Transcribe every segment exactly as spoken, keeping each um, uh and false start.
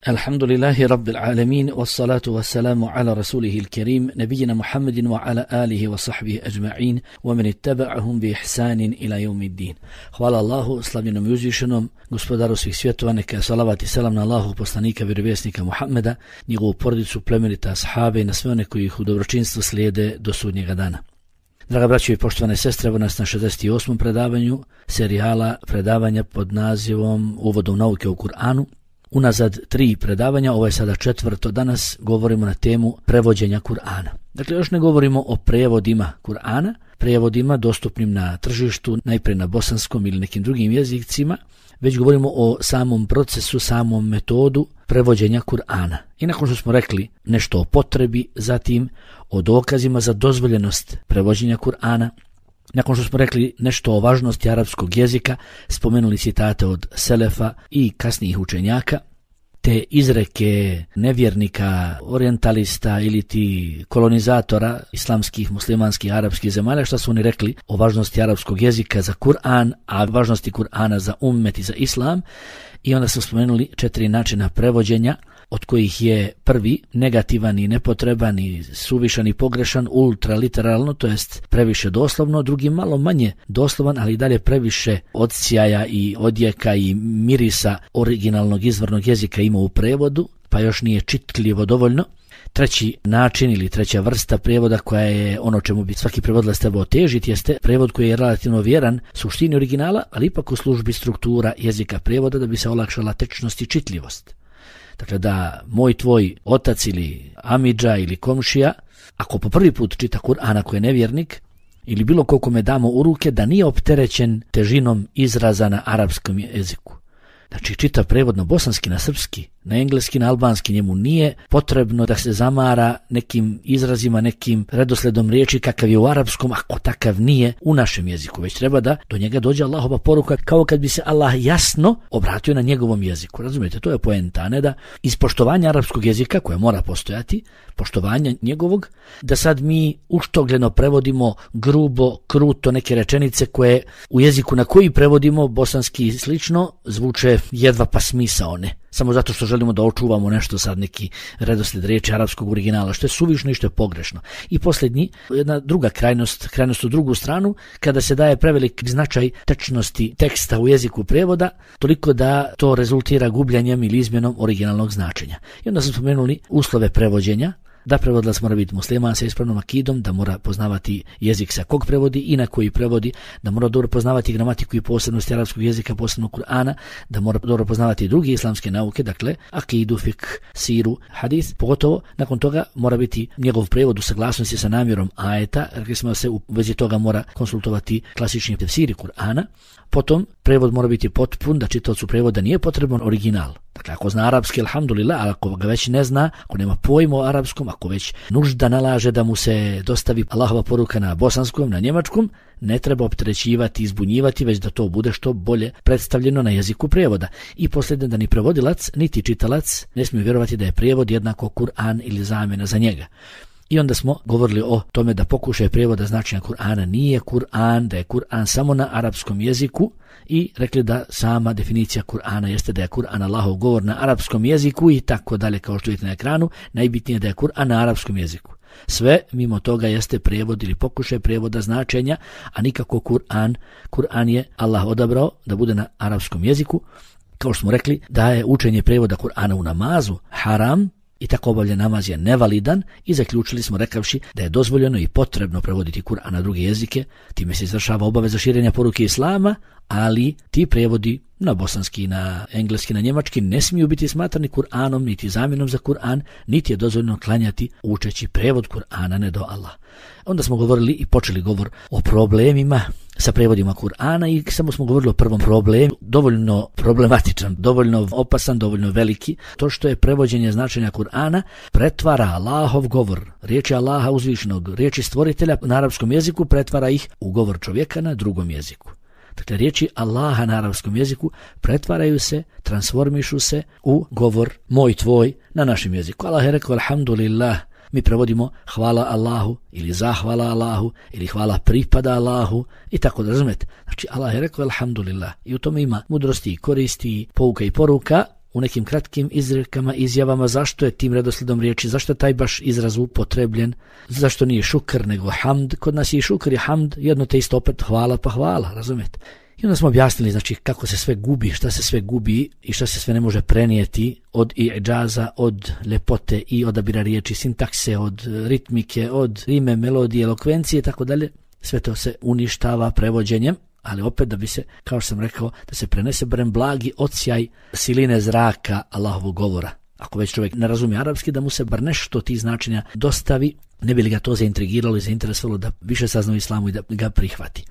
Alhamdulillahi rabbil alamin, wassalatu wassalamu ala rasulihil kerim, nabijina Muhammedin wa ala alihi wa sahbihi ajma'in, wa man ittaba'ahum bi ihsanin ila yawmiddin. Hvala Allahu, slavljenom i uzvišenom, gospodaru svih svjetova, neka salavat i selam na Allahu, poslanika, vjerovjesnika Muhammeda, njegovu porodicu, plemenita ashabe i na sve one koji ih u dobročinstvu slijede do sudnjega dana. Draga braćo i poštovane sestre, evo nas na šezdeset osmom predavanju serijala predavanja pod nazivom Uvodom nauke u Kur'anu. Unazad tri predavanja, ovo je sada četvrto, danas govorimo na temu prevođenja Kur'ana. Dakle, još ne govorimo o prevodima Kur'ana, prevodima dostupnim na tržištu, najprije na bosanskom ili nekim drugim jezicima, već govorimo o samom procesu, samom metodu prevođenja Kur'ana. I nakon što smo rekli nešto o potrebi, zatim o dokazima za dozvoljenost prevođenja Kur'ana, nakon što smo rekli nešto o važnosti arapskog jezika, spomenuli citate od selefa i kasnijih učenjaka, te izreke nevjernika, orientalista ili ti kolonizatora islamskih, muslimanskih, arapskih zemalja, što su oni rekli o važnosti arapskog jezika za Kur'an, a važnosti Kur'ana za ummet i za islam. I onda smo spomenuli četiri načina prevođenja, od kojih je prvi negativan i nepotreban i suvišan i pogrešan, ultraliteralno, to jest previše doslovno, drugi malo manje doslovan, ali i dalje previše odsjaja i odjeka i mirisa originalnog izvornog jezika ima u prevodu, pa još nije čitljivo dovoljno. Treći način ili treća vrsta prevoda koja je ono čemu bi svaki prevodilac trebao težiti jeste prevod koji je relativno vjeran suštini originala, ali ipak u službi struktura jezika prevoda da bi se olakšala tečnost i čitljivost. Dakle, da moj tvoj otac ili amidža ili komšija, ako po prvi put čita Kur'an, ako je nevjernik, ili bilo ko kome damo u ruke, da nije opterećen težinom izraza na arapskom jeziku. Znači, čita prevod na bosanski, na srpski, na engleski, na albanski, njemu nije potrebno da se zamara nekim izrazima, nekim redosledom riječi kakav je u arapskom, ako takav nije u našem jeziku, već treba da do njega dođe Allahova poruka, kao kad bi se Allah jasno obratio na njegovom jeziku. Razumijete, to je poenta, ne da iz poštovanja arapskog jezika, koje mora postojati, poštovanja njegovog, da sad mi uštogljeno prevodimo grubo, kruto neke rečenice koje u jeziku na koji prevodimo, bosanski i slično, zvuče jedva pa smisao ne. Samo zato što želimo da očuvamo nešto sad neki redoslijed riječi arapskog originala, što je suvišno i što je pogrešno. I posljednji, jedna druga krajnost, krajnost u drugu stranu, kada se daje prevelik značaj tečnosti teksta u jeziku prevoda, toliko da to rezultira gubljanjem ili izmjenom originalnog značenja. I onda smo spomenuli uslove prevođenja, da prevodilac mora biti musliman sa ispravnom akidom, da mora poznavati jezik sa kog prevodi i na koji prevodi, da mora dobro poznavati gramatiku i posebnosti arapskog jezika, posebno Kur'ana, da mora dobro poznavati druge islamske nauke, dakle akidu, fik, siru, hadis. Pogotovo nakon toga mora biti njegov prevod u saglasnosti sa namjerom ajeta, rekli smo da se u vezi toga mora konsultovati klasični tefsiri Kur'ana. Potom prevod mora biti potpun, da čitaocu prevoda nije potreban original. Dakle, ako zna arapski, alhamdulillah, ali ako ga već ne zna, ako nema pojma o arapskom, ako već nužda nalaže da mu se dostavi Allahova poruka na bosanskom, na njemačkom, ne treba opterećivati, izbunjivati, već da to bude što bolje predstavljeno na jeziku prevoda. I posljedno, da ni prevodilac, niti čitalac ne smiju vjerovati da je prevod jednako Kur'an ili zamjena za njega. I onda smo govorili o tome da pokušaj prevoda značenja Kur'ana nije Kur'an, da je Kur'an samo na arapskom jeziku i rekli da sama definicija Kur'ana jeste da je Kur'an Allahov govor na arapskom jeziku i tako dalje, kao što vidite na ekranu, najbitnije je da je Kur'an na arapskom jeziku. Sve mimo toga jeste prevod ili pokušaj prevoda značenja, a nikako Kur'an. Kur'an je Allah odabrao da bude na arapskom jeziku. Kao što smo rekli, da je učenje prevoda Kur'ana u namazu haram, i tako obavljen namaz je nevalidan i zaključili smo rekavši da je dozvoljeno i potrebno prevoditi Kur'an na druge jezike, time se izvršava obaveza širenja poruke Islama, ali ti prevodi na bosanski, na engleski, na njemački ne smiju biti smatrani Kur'anom, niti zamjenom za Kur'an, niti je dozvoljeno klanjati učeći prevod Kur'ana ne do Allah. Onda smo govorili i počeli govor o problemima sa prevodima Kur'ana i samo smo govorili o prvom problemu, dovoljno problematičan, dovoljno opasan, dovoljno veliki, to što je prevođenje značenja Kur'ana pretvara Allahov govor, riječi Allaha uzvišenog, riječi stvoritelja na arapskom jeziku, pretvara ih u govor čovjeka na drugom jeziku. Dakle, riječi Allaha na arapskom jeziku pretvaraju se, transformišu se u govor moj tvoj na našem jeziku. Allah je rekao alhamdulillah, mi prevodimo hvala Allahu ili zahvala Allahu ili hvala pripada Allahu i tako da razumete. Znači Allah je rekao alhamdulillah i u tome ima mudrosti i koristi, pouka i poruka, u nekim kratkim izrekama, izjavama zašto je tim redoslijedom riječi, zašto je taj baš izraz upotrebljen, zašto nije šukr nego hamd. Kod nas je i šukr i hamd jedno te isto, opet hvala pa hvala, razumijete? I onda smo objasnili znači kako se sve gubi, šta se sve gubi i šta se sve ne može prenijeti od i'đaza, od lepote i odabira riječi, sintakse, od ritmike, od rime, melodije, elokvencije i tako dalje. Sve to se uništava prevođenjem, ali opet da bi se, kao što sam rekao, da se prenese barem blagi odsjaj siline zraka Allahovog govora. Ako već čovjek ne razumije arapski, da mu se bar nešto tih značenja dostavi, ne bi li ga to zaintrigiralo i zainteresovalo da više sazna o islamu i da ga prihvati.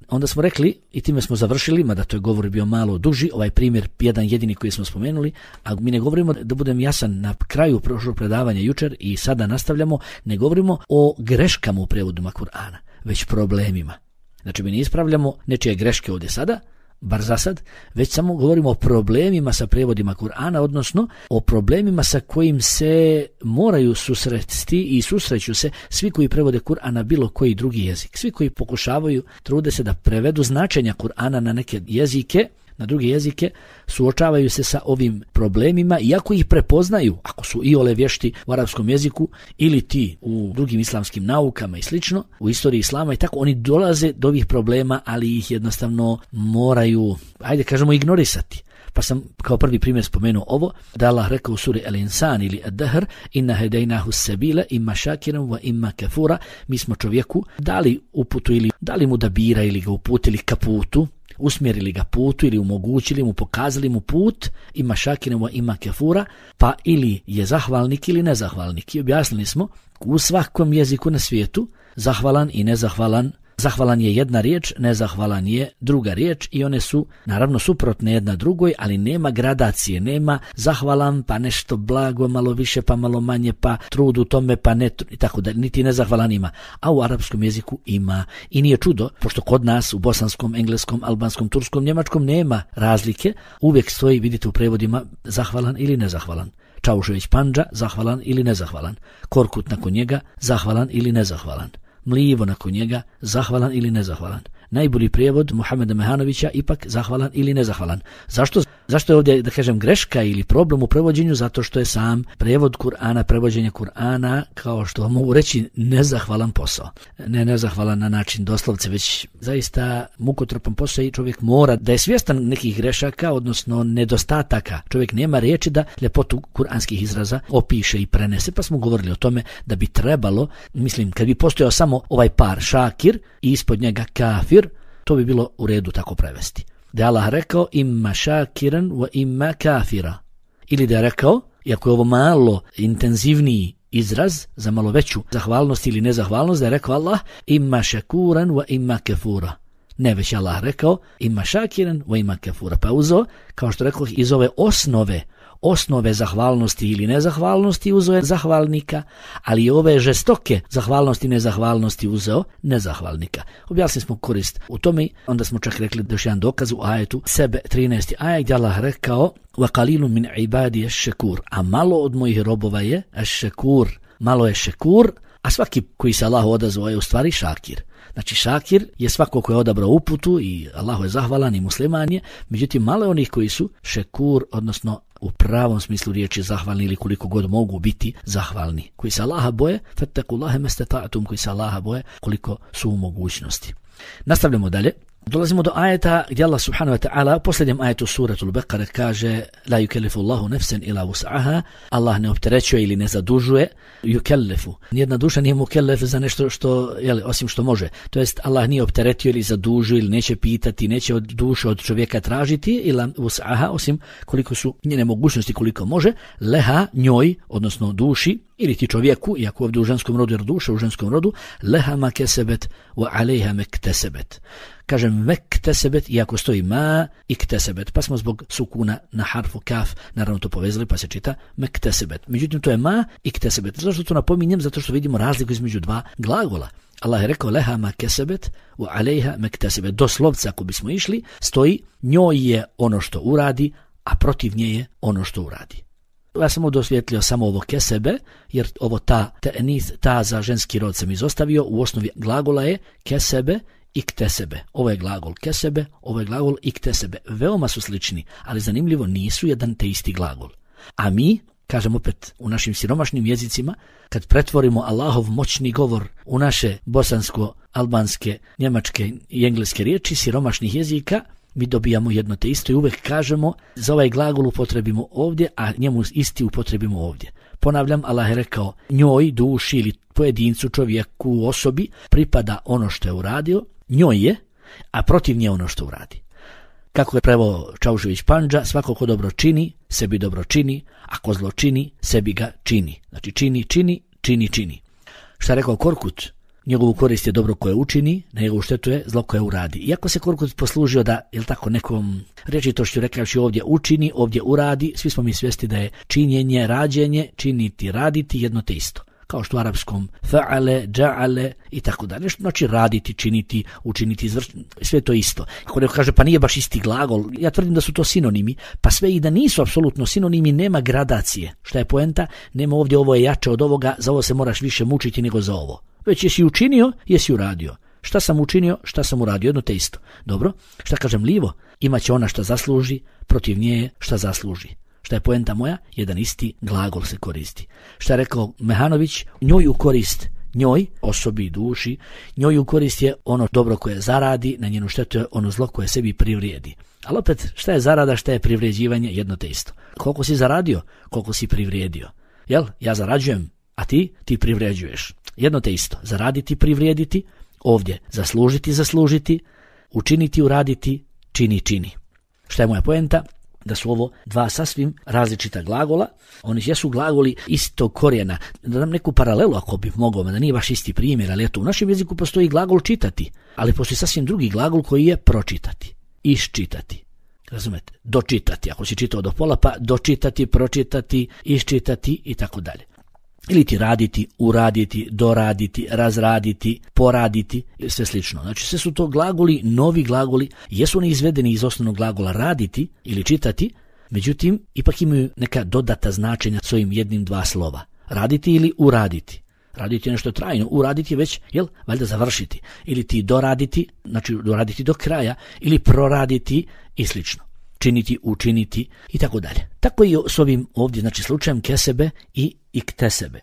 Onda smo rekli, i time smo završili, mada to je govor bio malo duži, ovaj primjer jedan jedini koji smo spomenuli, a mi ne govorimo, da budem jasan, na kraju prošlog predavanja jučer i sada nastavljamo, ne govorimo o greškama u prevodima Kur'ana, već problemima. Znači mi ne ispravljamo nečije greške ovdje sada, bar za sad, već samo govorimo o problemima sa prevodima Kur'ana, odnosno o problemima sa kojim se moraju susresti i susreću se svi koji prevode Kur'an na bilo koji drugi jezik. Svi koji pokušavaju, trude se da prevedu značenja Kur'ana na neke jezike, na druge jezike, suočavaju se sa ovim problemima, iako ih prepoznaju, ako su iole vješti u arapskom jeziku ili ti u drugim islamskim naukama i slično, u istoriji islama i tako, oni dolaze do ovih problema, ali ih jednostavno moraju, ajde kažemo, ignorisati. Pa sam kao prvi primjer spomenuo ovo, da Allah rekao u suri Al-Insan ili Ad-Dahr, inna hedejnahu sebile imma šakiran wa imma kafura, mi smo čovjeku dali uputu ili dali mu da bira ili ga uputili ka putu, usmjerili ga putu ili omogućili mu, pokazali mu put, ima šakinevo, ima kefura, pa ili je zahvalnik ili nezahvalnik. I objasnili smo, u svakom jeziku na svijetu, zahvalan i nezahvalan, zahvalan je jedna riječ, nezahvalan je druga riječ i one su naravno suprotne jedna drugoj, ali nema gradacije, nema zahvalan pa nešto blago, malo više pa malo manje, pa trud u tome pa ne, i tako da niti nezahvalan ima. A u arapskom jeziku ima. I nije čudo, pošto kod nas u bosanskom, engleskom, albanskom, turskom, njemačkom nema razlike, uvijek stoji, vidite u prevodima, zahvalan ili nezahvalan. Čaušević Pandža, zahvalan ili nezahvalan. Korkut nakon njega, zahvalan ili nezahvalan. Mlivo nakon njega, zahvalan ili nezahvalan. Najbolji prijevod Muhameda Mehanovića, ipak zahvalan ili nezahvalan. Zašto? Zašto je ovdje, da kažem, greška ili problem u prevođenju? Zato što je sam prevod Kur'ana, prevođenje Kur'ana, kao što mogu reći, nezahvalan posao. Ne nezahvalan na način doslovce, već zaista mukotrpan posao i čovjek mora da je svjestan nekih grešaka, odnosno nedostataka. Čovjek nema riječi da ljepotu kuranskih izraza opiše i prenese, pa smo govorili o tome da bi trebalo, mislim, kad bi postojao samo ovaj par šakir i ispod njega kafir, to bi bilo u redu tako prevesti. Da je Allah rekao imma šakiran wa imma kafira. Ili da je rekao, iako je ovo malo intenzivniji izraz za malo veću zahvalnost ili nezahvalnost, da je rekao Allah imma šakuran wa imma kafura. Ne, već je Allah rekao imma šakiran wa imma kafura. Pa uzo, kao što rekao, iz ove osnove osnove zahvalnosti ili nezahvalnosti uzeo je zahvalnika, ali i ove žestoke zahvalnosti i nezahvalnosti uzeo nezahvalnika. Objasnili smo korist u tome, onda smo čak rekli da još jedan dokaz u ajetu sebe trinaesti ajet gdje Allah rekao وَقَلِيلٌ مِنْ عِبَادِيَ الشَّكُورِ, a malo od mojih robova je šekur, malo je šekur, a svaki koji se Allahu odazvao je u stvari šakir. Znači šakir je svako ko je odabrao uputu i Allahu je zahvalan i musliman je, međutim malo je onih koji su šekur, odnosno u pravom smislu riječi zahvalni ili koliko god mogu biti zahvalni. Koji se Allaha boje, fattakullaha mastata'tum, koji se Allaha boje koliko su u mogućnosti. Nastavljamo dalje. Dolazimo do ajeta gdje Allah subhanahu wa ta'ala u posljednjem ajetu suratul Beqare kaže la yukellifu Allahu nefsen ila vus'aha, Allah ne opterećuje ili ne zadužuje, yukellifu. Nijedna duša nije mukellef za nešto što, jeli, osim što može. To jest Allah nije opteretio ili zadužio ili neće pitati, neće od duše od čovjeka tražiti ila vus'aha, osim koliko su njene mogućnosti, koliko može, leha njoj, odnosno duši, ili ti čovjeku, iako ovdje u ženskom rodu, jer duša u ženskom rodu, leha ma kesebet wa alejha mektesebet. Kažem mektesebet, iako stoji ma i ktesebet, pa smo zbog sukuna na harfu kaf naravno to povezali, pa se čita mektesebet. Međutim, to je ma i ktesebet. Zašto to napominjem? Zato što vidimo razliku između dva glagola. Allah je rekao leha ma kesebet wa alejha mektesebet. Doslovce, ako bismo išli, stoji njoj je ono što uradi, a protiv nje je ono što uradi. Ja sam ovdje osvjetlio samo ovo kesebe, jer ovo ta, tenis, ta za ženski rod sam izostavio, u osnovi glagola je kesebe iktesebe. Ovo je glagol kesebe, ovo je glagol iktesebe. Veoma su slični, ali zanimljivo nisu jedan te isti glagol. A mi, kažem opet u našim siromašnim jezicima, kad pretvorimo Allahov moćni govor u naše bosansko, albanske, njemačke i engleske riječi siromašnih jezika, mi dobijamo jedno te isto i uvek kažemo za ovaj glagol upotrebimo ovdje, a njemu isti upotrebimo ovdje. Ponavljam, Allah je rekao njoj, duši ili pojedincu, čovjeku, osobi pripada ono što je uradio, njoj je, a protiv nje ono što uradi. Kako je preveo Čaušević Pandža, svako ko dobro čini, sebi dobro čini, ako zlo čini, sebi ga čini. Znači čini, čini, čini, čini. Šta je rekao Korkut? Njegovu korist je dobro koje učini, na njegovu štetu je zlo koje uradi. Iako se Korkut poslužio da, jel tako, nekom rečitošću rekavši ovdje učini, ovdje uradi, svi smo mi svjesni da je činjenje, rađenje, činiti, raditi jedno te isto. Kao što u arapskom fa'ale, dža'ale i tako dalje. Znači raditi, činiti, učiniti, izvršiti, sve to isto. Ako neko kaže pa nije baš isti glagol, ja tvrdim da su to sinonimi, pa sve i da nisu apsolutno sinonimi, nema gradacije. Šta je poenta? Nema ovdje ovo je jače od ovoga, za ovo se moraš više mučiti nego za ovo. Već jesi učinio, jesi uradio. Šta sam učinio, šta sam uradio, jedno te isto. Dobro, šta kažem lijevo? Imaće ona šta zasluži, protiv nje je šta zasluži. Šta je poenta moja? Jedan isti glagol se koristi. Šta je rekao Mehanović? Njoj u korist, njoj, osobi, duši, njoj u korist je ono dobro koje zaradi, na njenu štetu je ono zlo koje sebi privrijedi. Ali opet, šta je zarada, šta je privređivanje, jedno te isto. Koliko si zaradio, koliko si privrijedio. Jel? Ja zarađujem, a ti, ti privređuješ. Jedno te isto. Zaraditi, privrijediti, ovdje zaslužiti, zaslužiti, učiniti, uraditi, čini, čini. Šta je moja poenta? Da su ovo dva sasvim različita glagola, oni jesu glagoli istog korijena. Da dam neku paralelu ako bih mogao, da nije baš isti primjer, ali eto, u našem jeziku postoji glagol čitati, ali postoji sasvim drugi glagol koji je pročitati, iščitati. Razumete? Dočitati, ako si čitao do pola, pa dočitati, pročitati, iščitati i tako dalje. Ili ti raditi, uraditi, doraditi, razraditi, poraditi, sve slično. Znači sve su to glagoli, novi glagoli, jesu oni izvedeni iz osnovnog glagola raditi ili čitati, međutim ipak imaju neka dodata značenja svojim jednim dva slova. Raditi ili uraditi. Raditi je nešto trajno, uraditi je već, jel, valjda završiti. Ili ti doraditi, znači doraditi do kraja, ili proraditi i slično. Činiti, učiniti i tako dalje. Tako i s ovim ovdje, znači slučajem kesebe i iktesebe.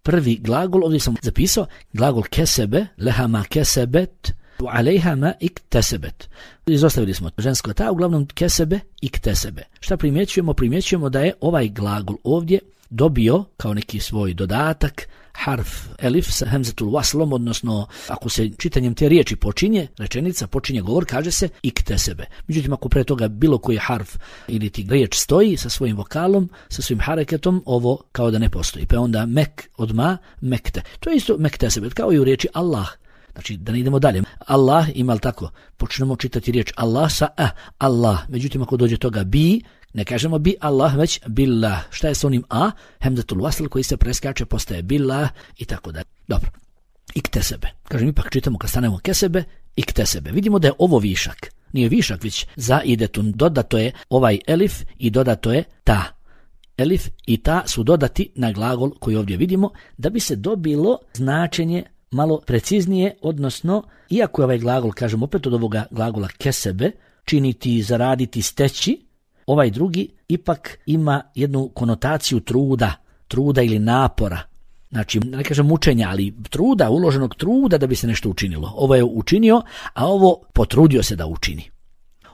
Prvi glagol, ovdje sam zapisao, glagol kesebe, lehama kesebet, alejhama iktesebet. Izostavili smo žensko ta, uglavnom kesebe, iktesebe. Šta primjećujemo? Primjećujemo da je ovaj glagol ovdje dobio kao neki svoj dodatak harf elif sa hemzetul waslom, odnosno ako se čitanjem te riječi počinje, rečenica počinje govor, kaže se iktesebe. Međutim, ako pre toga bilo koji harf ili ti riječ stoji sa svojim vokalom, sa svojim hareketom, ovo kao da ne postoji. Pa onda mek od ma, mekte. To je isto mektesebe, kao i u riječi Allah. Znači, da ne idemo dalje. Allah, ima li tako? Počnemo čitati riječ Allah sa a, Allah. Međutim, ako dođe toga bi, ne kažemo bi Allah, već billah. Šta je s onim a? Hemzetul wasl koji se preskače, postaje billah i tako dalje. Dobro. Iktesebe. Kažem, ipak čitamo kad stanemo kesebe, iktesebe. Vidimo da je ovo višak. Nije višak, već za idetun. Dodato je ovaj elif i dodato je ta. Elif i ta su dodati na glagol koji ovdje vidimo, da bi se dobilo značenje malo preciznije, odnosno, iako je ovaj glagol, kažem opet od ovoga glagola kesebe, činiti, zaraditi, steći, ovaj drugi ipak ima jednu konotaciju truda, truda ili napora. Znači, ne kažem mučenja, ali truda, uloženog truda da bi se nešto učinilo. Ovo je učinio, a ovo potrudio se da učini.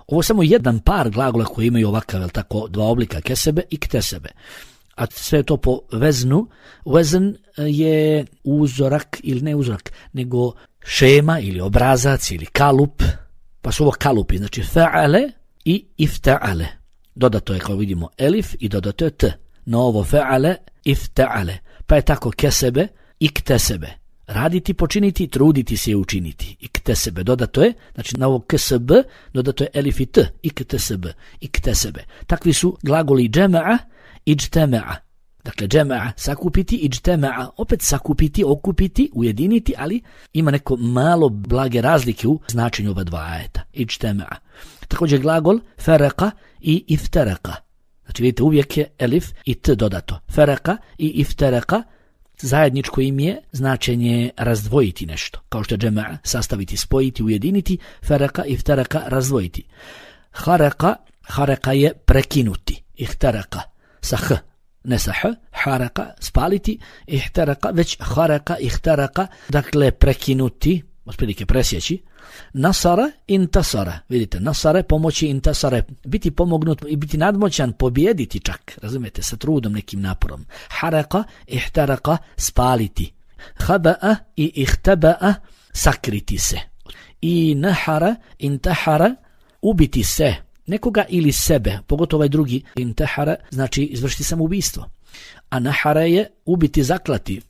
Ovo je samo jedan par glagola koji imaju ovakav, jel tako, dva oblika, kesebe i ktesebe. A sve to po veznu. Vezn je uzorak ili ne uzorak, nego šema ili obrazac ili kalup. Pa su ovo kalupi, znači fa'ale i ifta'ale. Dodato je, kao vidimo, elif i dodato je t. No ovo fa'ale, ifta'ale. Pa je tako kesebe i ktesebe. Raditi, počiniti, truditi se je učiniti. I ktesebe. Dodato je, znači na ovo ksb, dodato je elif i t. I ktesebe. I ktesebe. Takvi su glagoli džema'a, iđtema'a. Dakle, džema'a, sakupiti, iđtema'a, opet sakupiti, okupiti, ujediniti, ali ima neko malo blage razlike u značenju ova dva ajeta. Iđtema'a. Također glagol fereka i iftereka. Znači vidite, uvijek je elif i t dodato. Fereka i iftereka, zajedničko im je značenje razdvojiti nešto, kao što je džema'a, sastaviti, spojiti, ujediniti, faraka, iftaraka, razdvojiti. Haraka, haraka je prekinuti, ihtaraka, sa h, ne sa h, haraka, spaliti, ihtaraka, već haraka, ihtaraka, dakle prekinuti, otprilike presjeći. Nasara, intasara, vidite, nasare, pomoći, intasare, biti pomognut i biti nadmoćan, pobijediti čak, razumijete, sa trudom, nekim naporom. Haraka, ihtaraka, spaliti. Haba'a i ihtaba'a, sakriti se. I nahara, intahara, ubiti se, nekoga ili sebe, pogotovo ovaj drugi, intahara, znači izvršiti samoubistvo. A nahara je ubiti, zaklati.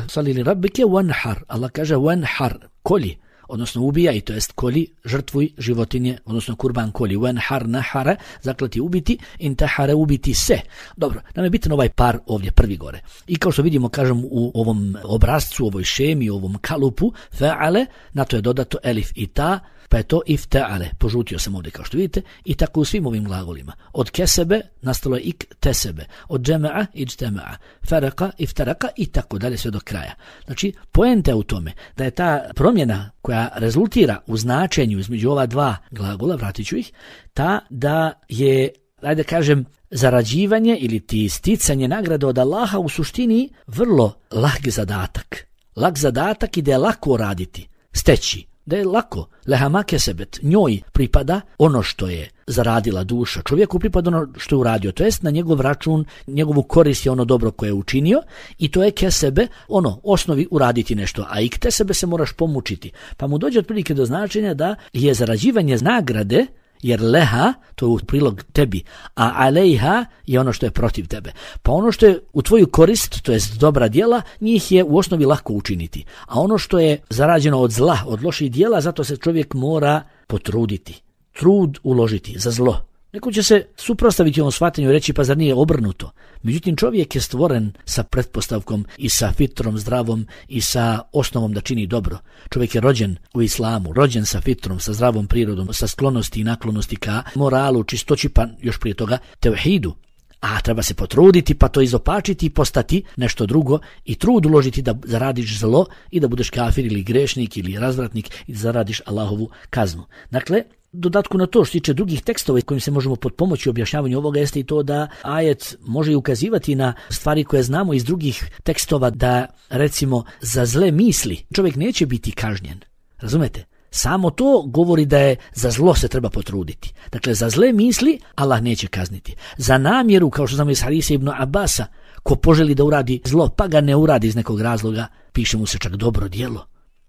Salili rabbike wanhar, Allah kaže wanhar, kolji, odnosno ubijaj, to jest kolji, žrtvuj životinje, odnosno kurban kolji, wanhar, nahara, zaklati, ubiti, intahara, ubiti se. Dobro, nam je bitan ovaj par ovdje prvi gore. I kao što vidimo, kažem, u ovom obrazcu, u ovoj šemi, u ovom kalupu, fa'ale, na to je dodato elif i ta, pa je to ifta'ale, požutio sam ovdje kao što vidite, i tako u svim ovim glagolima. Od kesebe nastalo je ik tesebe, od džema'a iđtema'a, faraka, iftaraka i tako dalje sve do kraja. Znači, poenta je u tome da je ta promjena koja rezultira u značenju između ova dva glagola, vratit ću ih, ta da je, ajde kažem, zarađivanje ili ti sticanje nagrade od Allaha u suštini vrlo lak zadatak. Lak zadatak i da je lako raditi, steći. Da je lako, lehama kesebet, njoj pripada ono što je zaradila duša, čovjeku pripada ono što je uradio, to jest na njegov račun, njegovu korist je ono dobro koje je učinio i to je kesebe, ono, osnovi uraditi nešto, a i k te sebe se moraš pomučiti. Pa mu dođe otprilike do značenja da je zarađivanje nagrade, jer leha, to je u prilog tebi, a alejha je ono što je protiv tebe. Pa ono što je u tvoju korist, to jest dobra djela, njih je u osnovi lako učiniti. A ono što je zarađeno od zla, od loših djela, zato se čovjek mora potruditi. Trud uložiti za zlo. Neko će se suprotstaviti ovom shvatanju i reći, pa zar nije obrnuto? Međutim, čovjek je stvoren sa pretpostavkom i sa fitrom zdravom i sa osnovom da čini dobro. Čovjek je rođen u islamu, rođen sa fitrom, sa zdravom prirodom, sa sklonosti i naklonosti ka moralu, čistoći, pa još prije toga tevhidu. A treba se potruditi, pa to izopačiti i postati nešto drugo i trud uložiti da zaradiš zlo i da budeš kafir ili grešnik ili razvratnik i da zaradiš Allahovu kaznu. Dakle, dodatku na to što tiče drugih tekstova kojim se možemo potpomoći objašnjavanju ovoga jeste i to da ajet može ukazivati na stvari koje znamo iz drugih tekstova, da recimo za zle misli čovjek neće biti kažnjen. Razumete? Samo to govori da je za zlo se treba potruditi. Dakle, za zle misli Allah neće kazniti. Za namjeru, kao što znamo iz hadisa Ibn Abasa, ko poželi da uradi zlo pa ga ne uradi iz nekog razloga, piše mu se čak dobro djelo.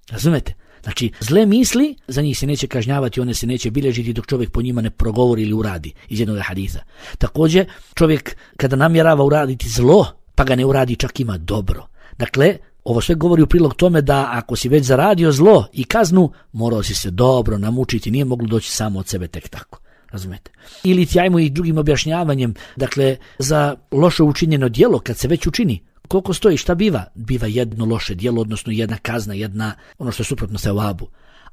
Razumete? Znači, zle misli, za njih se neće kažnjavati, one se neće bilježiti dok čovjek po njima ne progovori ili uradi iz jednog hadisa. Također, čovjek kada namjerava uraditi zlo, pa ga ne uradi, čak ima dobro. Dakle, ovo sve govori u prilog tome da ako si već zaradio zlo i kaznu, morao si se dobro namučiti, nije moglo doći samo od sebe tek tako. Razumete? Ili ti ajmo i drugim objašnjavanjem, dakle, za loše učinjeno djelo, kad se već učini, koliko stoji, šta biva? Biva jedno loše djelo, odnosno jedna kazna, jedna, ono što je suprotno sevabu.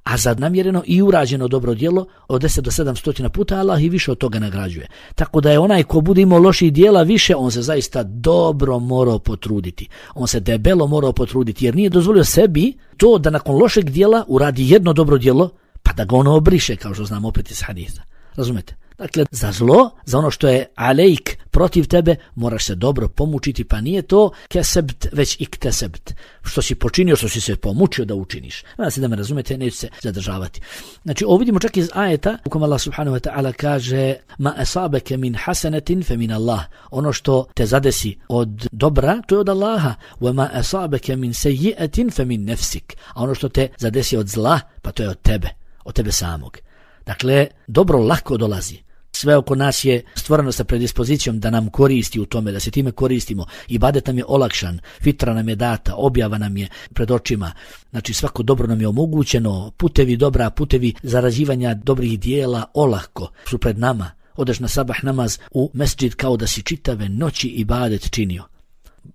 A za namjereno i urađeno dobro djelo od deset do sedamsto puta Allah i više od toga nagrađuje. Tako da je onaj ko bude imao loših djela više, on se zaista dobro morao potruditi. On se debelo morao potruditi jer nije dozvolio sebi to da nakon lošeg djela uradi jedno dobro djelo pa da ga ono obriše, kao što znamo opet iz hadisa. Razumete? Dakle, za zlo, za ono što je alejk protiv tebe, moraš se dobro pomučiti, pa nije to kesebt, već iktesebt. Što si počinio, što si se pomučio da učiniš. Nadam se da me razumete, neću se zadržavati. Znači, ovo vidimo čak iz ajeta, u kojem Allah subhanahu wa ta'ala kaže ma asabeke min hasanetin fe min Allah. Ono što te zadesi od dobra, to je od Allaha. Wa ma asabeke min seji'etin fe min nefsik. A ono što te zadesi od zla, pa to je od tebe, od tebe samog. Dakle, dobro lako dolazi. Sve oko nas je stvoreno sa predispozicijom da nam koristi u tome, da se time koristimo. Ibadet nam je olakšan, fitra nam je data, objava nam je pred očima. Znači svako dobro nam je omogućeno, putevi dobra, putevi zarađivanja dobrih dijela olako su pred nama. Odeš na sabah namaz u mesdžid kao da si čitave noći ibadet činio.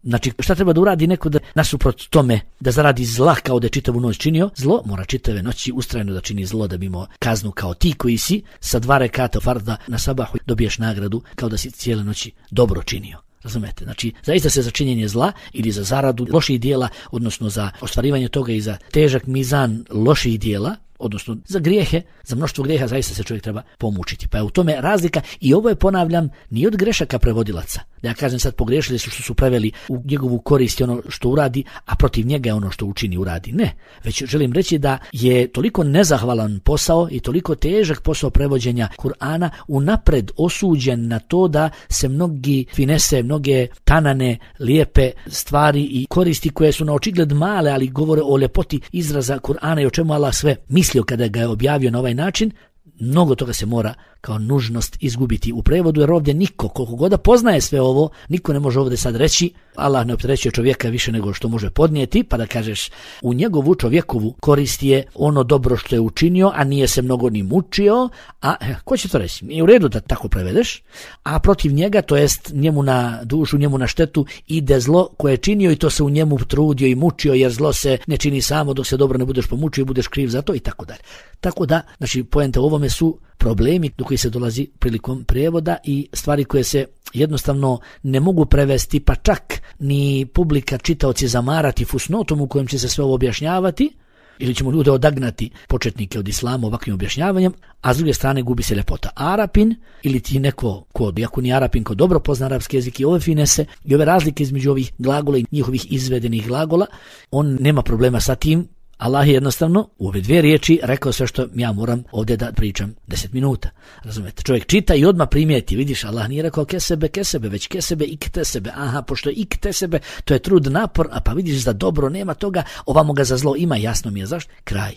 Znači, šta treba da uradi neko da nasuprot tome da zaradi zla kao da je čitavu noć činio? Zlo mora čitave noći ustrajno da čini zlo da bi imao kaznu kao ti koji si sa dva rekata farda na sabahu dobiješ nagradu kao da si cijele noći dobro činio. Razumete? Znači, zaista se za činjenje zla ili za zaradu loših dijela, odnosno za ostvarivanje toga i za težak mizan loših dijela, odnosno za grijehe, za mnoštvo grijeha zaista se čovjek treba pomučiti. Pa je u tome razlika i ovo je, ponavljam, nije od grešaka prevodilaca. Da ja kažem sad pogriješili su što su preveli u njegovu korist ono što uradi, a protiv njega je ono što učini uradi. Ne, već želim reći da je toliko nezahvalan posao i toliko težak posao prevođenja Kur'ana unapred osuđen na to da se mnogi finese, mnoge tanane, lijepe stvari i koristi koje su na očigled male, ali govore o ljepoti izraza Kur'ana i o čemu Allah sve mislio kada ga je objavio na ovaj način, mnogo toga se mora kao nužnost izgubiti u prevodu, jer ovdje niko, koliko god da poznaje sve ovo, niko ne može ovdje sad reći, Allah ne opterećuje čovjeka više nego što može podnijeti, pa da kažeš u njegovu čovjekovu korist je ono dobro što je učinio, a nije se mnogo ni mučio, a ko će to reći? Nije u redu da tako prevedeš, a protiv njega, to jest njemu na dušu, njemu na štetu, ide zlo koje je činio i to se u njemu trudio i mučio, jer zlo se ne čini samo dok se dobro ne budeš pomučio i budeš kriv za to i tako dalje. Tako da, znači, poenta u ovome su problemi do koji se dolazi prilikom prijevoda i stvari koje se jednostavno ne mogu prevesti, pa čak ni publika, čitaoci zamarati fusnotom u kojem će se sve ovo objašnjavati, ili ćemo ljude odagnati, početnike od islama, ovakvim objašnjavanjem, a s druge strane gubi se ljepota. Arapin ili ti neko ko, iako ni Arapin, ko dobro pozna arapski jezik i ove finese i ove razlike između ovih glagola i njihovih izvedenih glagola, on nema problema sa tim. Allah je jednostavno u ove dvije riječi rekao sve što ja moram ovdje da pričam deset minuta. Razumete? Čovjek čita i odmah primijeti. Vidiš, Allah nije rekao kesebe, kesebe, već kesebe i ktesebe. Aha, pošto je i ktesebe, to je trud, napor, a pa vidiš da dobro nema toga, ovamo ga za zlo ima, jasno mi je zašto. Kraj.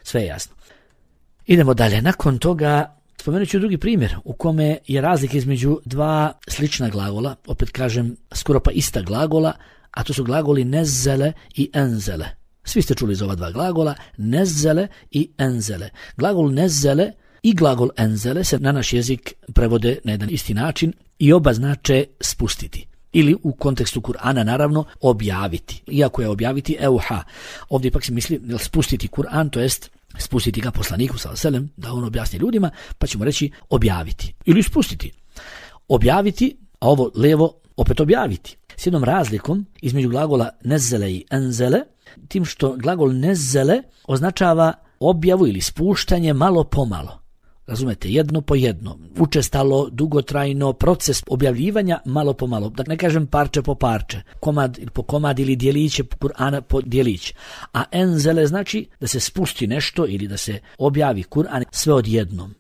Sve je jasno. Idemo dalje. Nakon toga spomenut ću drugi primjer u kome je razlika između dva slična glagola, opet kažem skoro pa ista glagola, a to su glagoli nezele i enzele. Svi ste čuli za ova dva glagola, nezele i enzele. Glagol nezele i glagol enzele se na naš jezik prevode na jedan isti način i oba znače spustiti. Ili u kontekstu Kur'ana naravno objaviti. Iako je objaviti euha. Ovdje ipak se misli spustiti Kur'an, to jest spustiti ga poslaniku sallallahu alejhi ve sellem da on objasni ljudima, pa ćemo reći objaviti. Ili spustiti. Objaviti, a ovo levo opet objaviti. S jednom razlikom između glagola nezele i enzele, tim što glagol nezele označava objavu ili spuštanje malo po malo. Razumete, jedno po jedno, učestalo, dugotrajno, proces objavljivanja malo po malo, da ne kažem parče po parče, komad po komad ili dijeliće Kur'ana po dijelić. A enzele znači da se spusti nešto ili da se objavi Kur'an sve odjednom.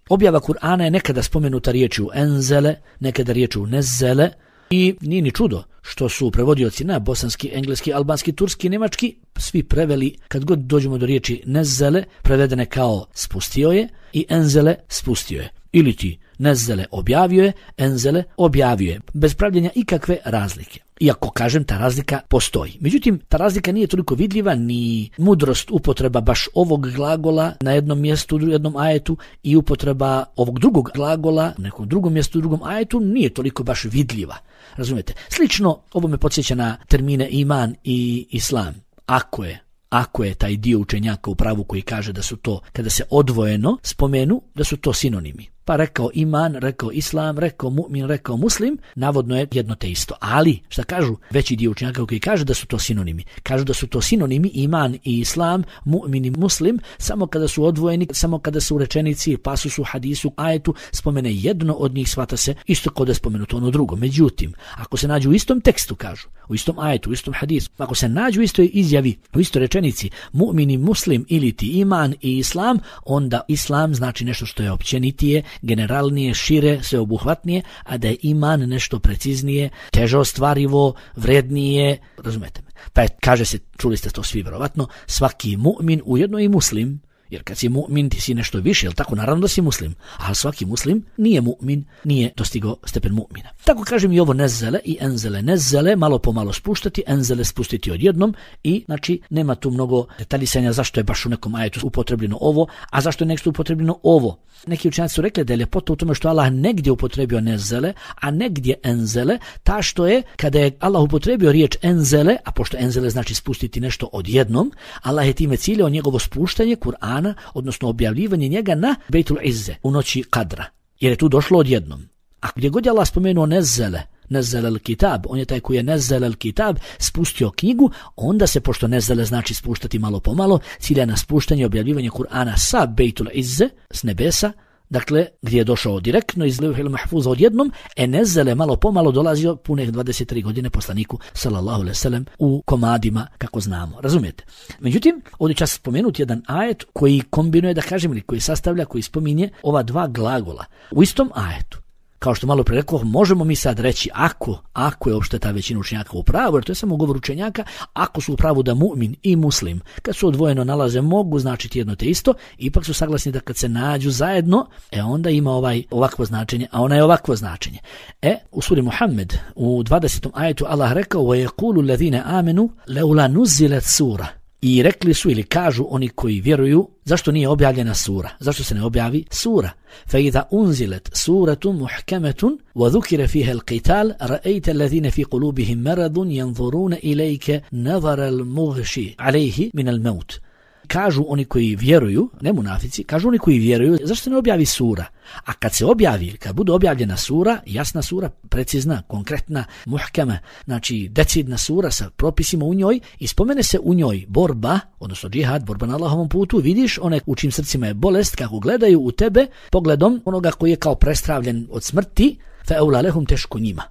Objava Kur'ana je nekada spomenuta riječju enzele, nekada riječju nezele, i nije ni čudo što su prevodioci na bosanski, engleski, albanski, turski, nemački svi preveli, kad god dođemo do riječi nezele, prevedene kao spustio je i enzele spustio je. Ili ti nezele objavio je, enzele objavio je, bez pravljenja ikakve razlike. Iako, kažem, ta razlika postoji. Međutim, ta razlika nije toliko vidljiva, ni mudrost upotreba baš ovog glagola na jednom mjestu, u jednom ajetu i upotreba ovog drugog glagola na nekom drugom mjestu, u drugom ajetu nije toliko baš vidljiva. Razumijete? Slično, ovo me podsjeća na termine iman i islam. Ako je Ako je taj dio učenjaka u pravu koji kaže da su to, kada se odvojeno spomenu, da su to sinonimi. Pa rekao iman, rekao islam, rekao mu'min, rekao muslim, navodno je jedno te isto. Ali, šta kažu veći dio učenjaka koji kaže da su to sinonimi? Kažu da su to sinonimi iman i islam, mu'min i muslim, samo kada su odvojeni, samo kada se u rečenici, pasusu, hadisu, ajetu spomene jedno od njih, shvata se isto kao da je spomenuto ono drugo. Međutim, ako se nađu u istom tekstu, kažu, u istom ajetu, u istom hadisu, ako se nađu u istoj izjavi, u istoj rečenici, mu'min i muslim ili ti iman i islam, onda islam znači nešto što je općenitije, generalnije, šire, sveobuhvatnije, a da je iman nešto preciznije, teže ostvarivo, vrednije, razumete me. Pa je, kaže se, čuli ste to svi vjerovatno, svaki mu'min ujedno i muslim, jer kad si mu'min ti si nešto više, jel tako? Naravno da si muslim, a svaki muslim nije mu'min, nije dostigao stepen mu'mina. Tako kažem i ovo nezele i enzele. Nezele malo po malo spuštati, enzele spustiti odjednom i znači nema tu mnogo detaljisanja zašto je baš u nekom ajetu upotrebljeno ovo, a zašto je nešto upotrebljeno ovo. Neki učenjaci su rekli da je ljepota u tome što Allah negdje upotrebio nezele, a negdje enzele, ta što je kada je Allah upotrebio riječ enzele, a pošto enzele znači spustiti nešto odjednom, Allah je time ciljao njegovo spuštanje Kur'ana, odnosno objavljivanje njega na Bejtul Izze u noći Kadra, jer je tu došlo odjednom. A gdje god je Allah spomenuo nezele, nazzala al-kitab, on je taj koji je nazzala al-kitab, spustio knjigu, onda se, pošto nazzala znači spuštati malo po malo, cilja na spuštanje i objavljivanje Kur'ana sa Bejtul Izze, s nebesa, dakle, gdje je došao direktno iz Levhil Mahfuza odjednom, e nezele malo pomalo dolazio punih dvadeset tri godine poslaniku sallallahu alejhi ve sellem u komadima, kako znamo. Razumijete? Međutim, ovdje ću spomenuti jedan ajet koji kombinuje, da kažem, ili koji sastavlja, koji spominje ova dva glagola u istom ajetu. Kao što malo pre rekao, možemo mi sad reći ako, ako je uopšte ta većina učenjaka u pravu, jer to je samo govor učenjaka, ako su u pravu da mu'min i muslim, kad su odvojeno nalaze, mogu značiti jedno te isto, ipak su saglasni da kad se nađu zajedno, e onda ima ovaj ovakvo značenje, a ona je ovakvo značenje. E, u suri Muhammed, u dvadesetom ajetu Allah rekao, وَيَقُولُ الَّذِينَ آمَنُوا لَوْلَا نُزِّلَتْ سُورَةٌ. I rekli su ili kažu oni koji vjeruju, zašto nije objavljena sura? Zašto se ne objavi sura? فَإِذَا أُنْزِلَتْ سُورَةٌ مُحْكَمَةٌ وَذُكِرَ فِيهَا الْقِتَالُ رَأَيْتَ الَّذِينَ فِي قُلُوبِهِم مَرَضٌ يَنْظُرُونَ إِلَيْكَ نَظَرَ الْمُغْشِي عَلَيْهِ مِنَ الْمَوْتِ. Kažu oni koji vjeruju, ne munafici, kažu oni koji vjeruju, zašto se ne objavi sura? A kad se objavi, kad bude objavljena sura, jasna sura, precizna, konkretna, muhkama, znači decidna sura sa propisima u njoj, i spomene se u njoj borba, odnosno džihad, borba na Allahovom putu, vidiš one u čim srcima je bolest, kako gledaju u tebe pogledom onoga koji je kao prestravljen od smrti, fa eula lehum, teško njima.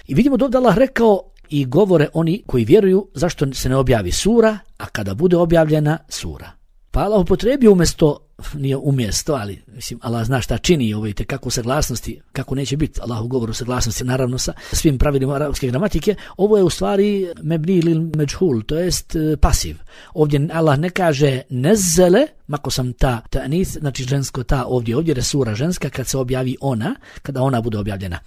I vidimo da Allah rekao i govore oni koji vjeruju zašto se ne objavi sura, a kada bude objavljena sura. Pa Allah upotrebio umjesto, nije umjesto, ali mislim Allah zna šta čini, ovo vidite kako saglasnosti, kako neće biti Allah u govoru saglasnosti, naravno sa svim pravilima arapske gramatike, ovo je u stvari mebni lil međhul, to jest pasiv. Ovdje Allah ne kaže nezele, mako sam ta ta'nith, znači žensko ta ovdje, ovdje je sura ženska kad se objavi ona, kada ona bude objavljena.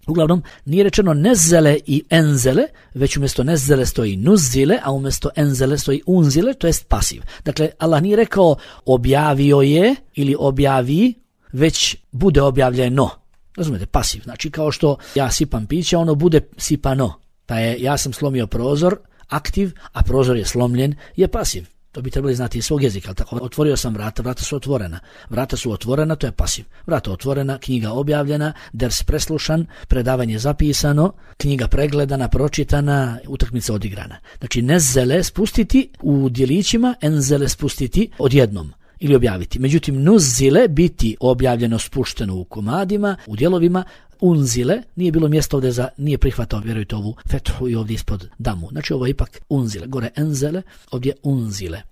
Uglavnom, nije rečeno nezele i enzele, već umjesto nezele stoji nuzile, a umjesto enzele stoji unzile, to jest pasiv. Dakle, Allah nije rekao objavio je ili objavi, već bude objavljeno. Razumijete, pasiv. Znači, kao što ja sipam piće, ono bude sipano. Pa je, ja sam slomio prozor, aktiv, a prozor je slomljen, je pasiv. To bi trebali znati iz svog jezika, ali tako, otvorio sam vrata, vrata su otvorena. Vrata su otvorena, to je pasiv. Vrata otvorena, knjiga objavljena, ders preslušan, predavanje zapisano, knjiga pregledana, pročitana, utakmica odigrana. Znači, nezele spustiti u djelićima, enzele spustiti odjednom ili objaviti. Međutim, nuzile biti objavljeno, spušteno u komadima, u dijelovima, unzile, nije bilo mjesta ovdje za, nije prihvatao, vjerujte, ovu fethu i ovdje ispod damu. Znači ovo je ipak unzile, gore enzele, ovdje unzile.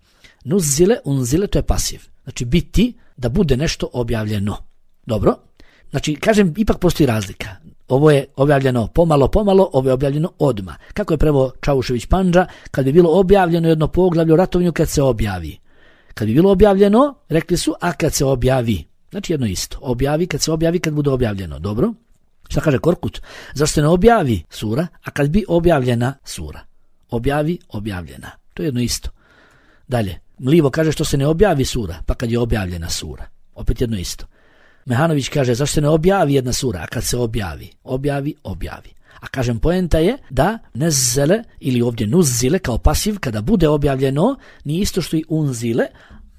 Nuzile, unzile, to je pasiv. Znači biti, da bude nešto objavljeno. Dobro? Znači, kažem, ipak postoji razlika. Ovo je objavljeno pomalo, pomalo, ovo je objavljeno odma. Kako je preveo Čaušević Pandža, kad bi bilo objavljeno jedno poglavlje o ratovanju, kad se objavi. Kad bi bilo objavljeno, rekli su, a kad se objavi. Znači jedno isto. Objavi kad se objavi, kad bude objavljeno. Dobro? Šta kaže Korkut? Zašto se ne objavi sura, a kad bi objavljena sura? Objavi, objavljena. To je jedno isto. Dalje. Mlivo kaže što se ne objavi sura, pa kad je objavljena sura. Opet jedno isto. Mehanović kaže zašto se ne objavi jedna sura, a kad se objavi? Objavi, objavi. A kažem, poenta je da nezele ili ovdje nuzile kao pasiv, kada bude objavljeno, nije isto što i unzile.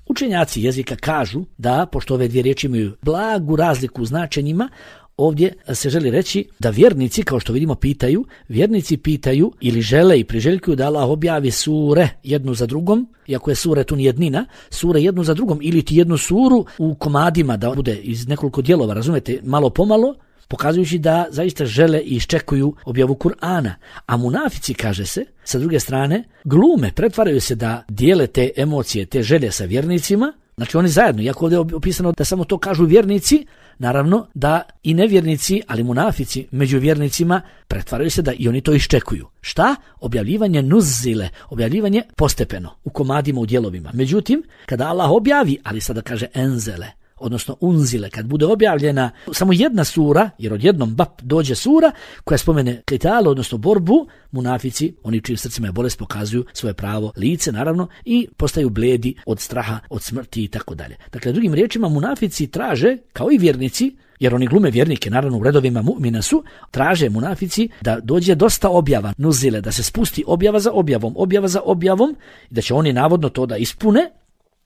Učenjaci jezika kažu da, pošto ove dvije riječi imaju blagu razliku u značenjima, ovdje se želi reći da vjernici, kao što vidimo, pitaju, vjernici pitaju ili žele i priželjkuju da Allah objavi sure jednu za drugom, iako je sure tu jednina, sure jednu za drugom, ili ti jednu suru u komadima, da bude iz nekoliko dijelova, razumete, malo pomalo, pokazujući da zaista žele i iščekuju objavu Kur'ana. A munafici, kaže se, sa druge strane, glume, pretvaraju se da dijele te emocije, te želje sa vjernicima. Znači oni zajedno, iako ovdje je opisano da samo to kažu vjernici, naravno da i nevjernici, ali munafici među vjernicima pretvaraju se da i oni to iščekuju. Šta? Objavljivanje nuzile, objavljivanje postepeno, u komadima, u dijelovima. Međutim, kada Allah objavi, ali sada kaže enzele, odnosno unzile, kad bude objavljena samo jedna sura, jer odjednom bap dođe sura koja spomene qital, odnosno borbu, munafici, oni čijim srcima je bolest, pokazuju svoje pravo lice, naravno, i postaju bledi od straha, od smrti i tako dalje. Dakle, drugim riječima, munafici traže, kao i vjernici, jer oni glume vjernike, naravno u redovima mu'mina su, traže munafici da dođe dosta objava, nuzile, da se spusti objava za objavom, objava za objavom, i da će oni navodno to da ispune.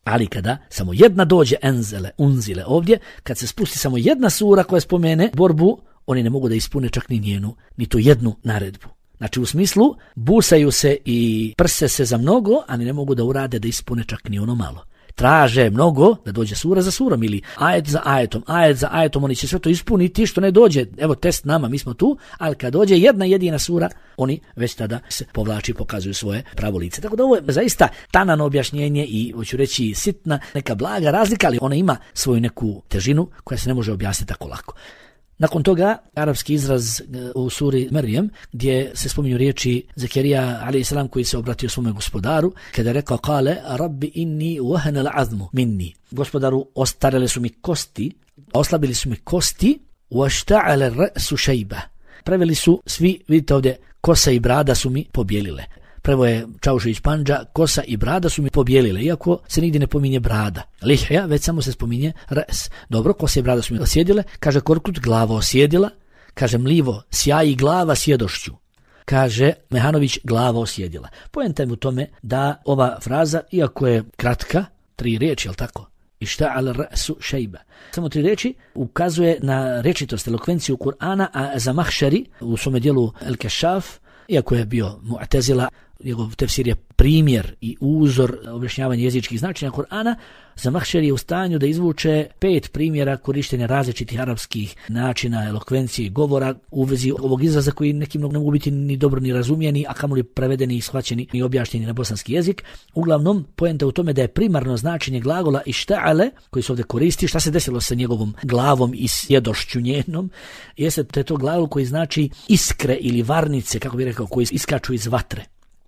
Ali kada samo jedna dođe enzele, unzile ovdje, kad se spusti samo jedna sura koja spomene borbu, oni ne mogu da ispune čak ni njenu, ni tu jednu naredbu. Znači u smislu, busaju se i prse se za mnogo, a ne mogu da urade da ispune čak ni ono malo. Traže mnogo da dođe sura za surom ili ajet za ajetom, ajet za ajetom, oni će sve to ispuniti što ne dođe. Evo test nama, mi smo tu, ali kad dođe jedna jedina sura, oni već tada se povlači i pokazuju svoje pravo lice. Tako da ovo je zaista tanano objašnjenje i hoću reći sitna neka blaga razlika, ali ona ima svoju neku težinu koja se ne može objasniti tako lako. Nakon toga, arapski izraz u suri Merjem, gdje se spominju riječi Zakarija alejhi selam koji se obratio svome gospodaru, kada je rekao kale, rabbi inni wahana al-azmu minni. Gospodaru, ostarele su mi kosti, oslabili su mi kosti, washta'ala ar-ra'su shayba. Preveli su svi, vidite ovdje, kosa i brada su mi pobjelile. Prvo je Čaušević Pandža, kosa i brada su mi pobjelile, iako se nigdje ne pominje brada. Lihja, već samo se spominje res. Dobro, kosa i brada su mi osjedile, kaže Korkut, glava osjedila, kaže Mlivo, sjaji glava sjedošću. Kaže Mehanović, glava osjedila. Poenta je u tome da ova fraza, iako je kratka, tri riječi, jel tako? Ishta'ala ra'su shayba. Samo tri riječi ukazuje na rečitost, elokvenciju Kur'ana, a za Mahšari u svome dijelu El-Kešaf, iako je bio Mu'tezila, njegov tefsir je primjer i uzor objašnjavanja jezičkih značenja Kur'ana, Zamahšeri je u stanju da izvuče pet primjera korištenja različitih arapskih načina elokvencije i govora u vezi ovog izraza koji nekim ne mogu biti ni dobro ni razumijeni, a kamoli prevedeni i shvaćeni i objašnjeni na bosanski jezik. Uglavnom, poenta u tome da je primarno značenje glagola išta'ale, koji se ovdje koristi, šta se desilo sa njegovom glavom i sjedošću njenom, jeste to, je to glagol koji znači iskre ili varnice, kako bih rekao, koji iskaču iz vatre.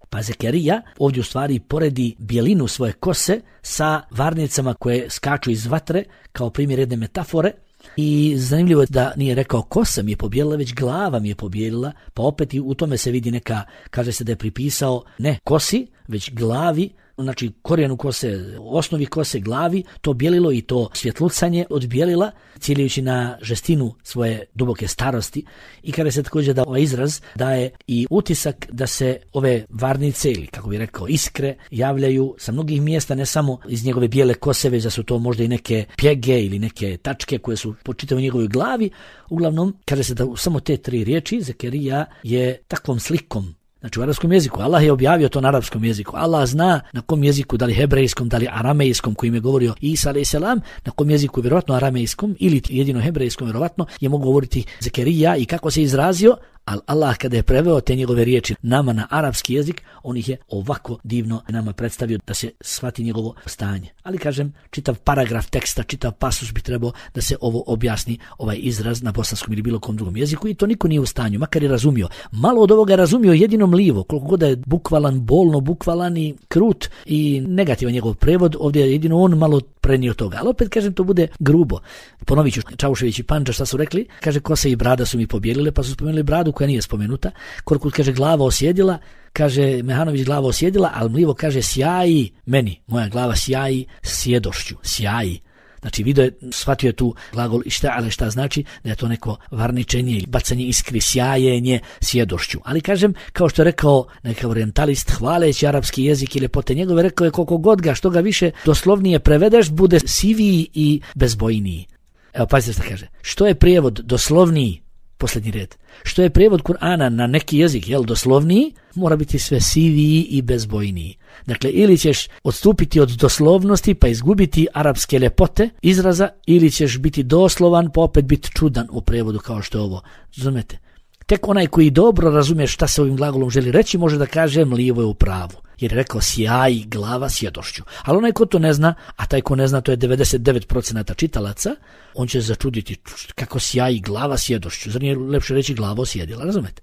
Pa Zakarija ovdje u stvari poredi bijelinu svoje kose sa varnicama koje skaču iz vatre kao primjer jedne metafore. I zanimljivo je da nije rekao kosa mi je pobjelila, već glava mi je pobjelila, pa opet i u tome se vidi neka, kaže se da je pripisao ne kosi, već glavi, znači korijenu kose, osnovi kose glavi, to bijelilo i to svjetlucanje odbijelila, ciljajući na žestinu svoje duboke starosti. I kada se također da ovaj izraz daje i utisak da se ove varnice ili kako bi rekao iskre javljaju sa mnogih mjesta, ne samo iz njegove bijele kose, već da su to možda i neke pjege ili neke tačke koje su po čitavoj njegovoj glavi. Uglavnom, kaže se da samo te tri riječi Zakarija je takvom slikom. Znači u arapskom jeziku, Allah je objavio to na arapskom jeziku. Allah zna na kom jeziku, da li hebrejskom, da li aramejskom kojim je govorio Isa alejhi selam, na kom jeziku vjerojatno aramejskom ili jedino hebrejskom vjerojatno je mogu govoriti Zakarija i kako se izrazio, ali Allah kada je preveo te njegove riječi nama na arapski jezik, on ih je ovako divno nama predstavio da se shvati njegovo stanje. Ali kažem, čitav paragraf teksta, čitav pasus bi trebao da se ovo objasni, ovaj izraz na bosanskom ili bilo kom drugom jeziku i to niko nije u stanju, makar je razumio. Malo od ovoga je razumio jedino Mlivo, koliko god je bukvalan, bolno bukvalan i krut i negativan njegov prevod, ovdje je jedino on malo prenio toga. Ali opet kažem, to bude grubo. Ponovit ću Čaušević i Pandža šta su rekli, kaže kosa i brada su mi pobjelile, pa su spomenuli bradu koja nije spomenuta. Korkut kaže glava osjedila, kaže Mehanović glava osjedila, ali Mlivo kaže sjaji meni, moja glava sjaji sjedošću, sjaji. Znači video je, shvatio je tu glagol šta, ali šta znači da je to neko varničenje, bacanje iskri, sjajenje sjedošću. Ali kažem, kao što je rekao neka orientalist, hvaleći arapski jezik i ljepote njegove, rekao je koliko god ga, što ga više doslovnije prevedeš, bude siviji i bezbojniji. Evo pazite šta kaže. Što je prijevod doslovniji? Posljednji red. Što je prijevod Kur'ana na neki jezik, jel, doslovniji, mora biti sve siviji i bezbojniji. Dakle, ili ćeš odstupiti od doslovnosti pa izgubiti arapske ljepote izraza, ili ćeš biti doslovan pa opet biti čudan u prijevodu kao što je ovo. Razumete? Tek onaj koji dobro razumije šta se ovim glagolom želi reći može da kaže Mlivo je u pravu. Jer je rekao sjaji glava sjedošću. Ali onaj ko to ne zna, a taj ko ne zna to je devedeset devet posto čitalaca, on će začuditi kako sjaji glava sjedošću. Zar nije lepše reći glava osjedila, razumete?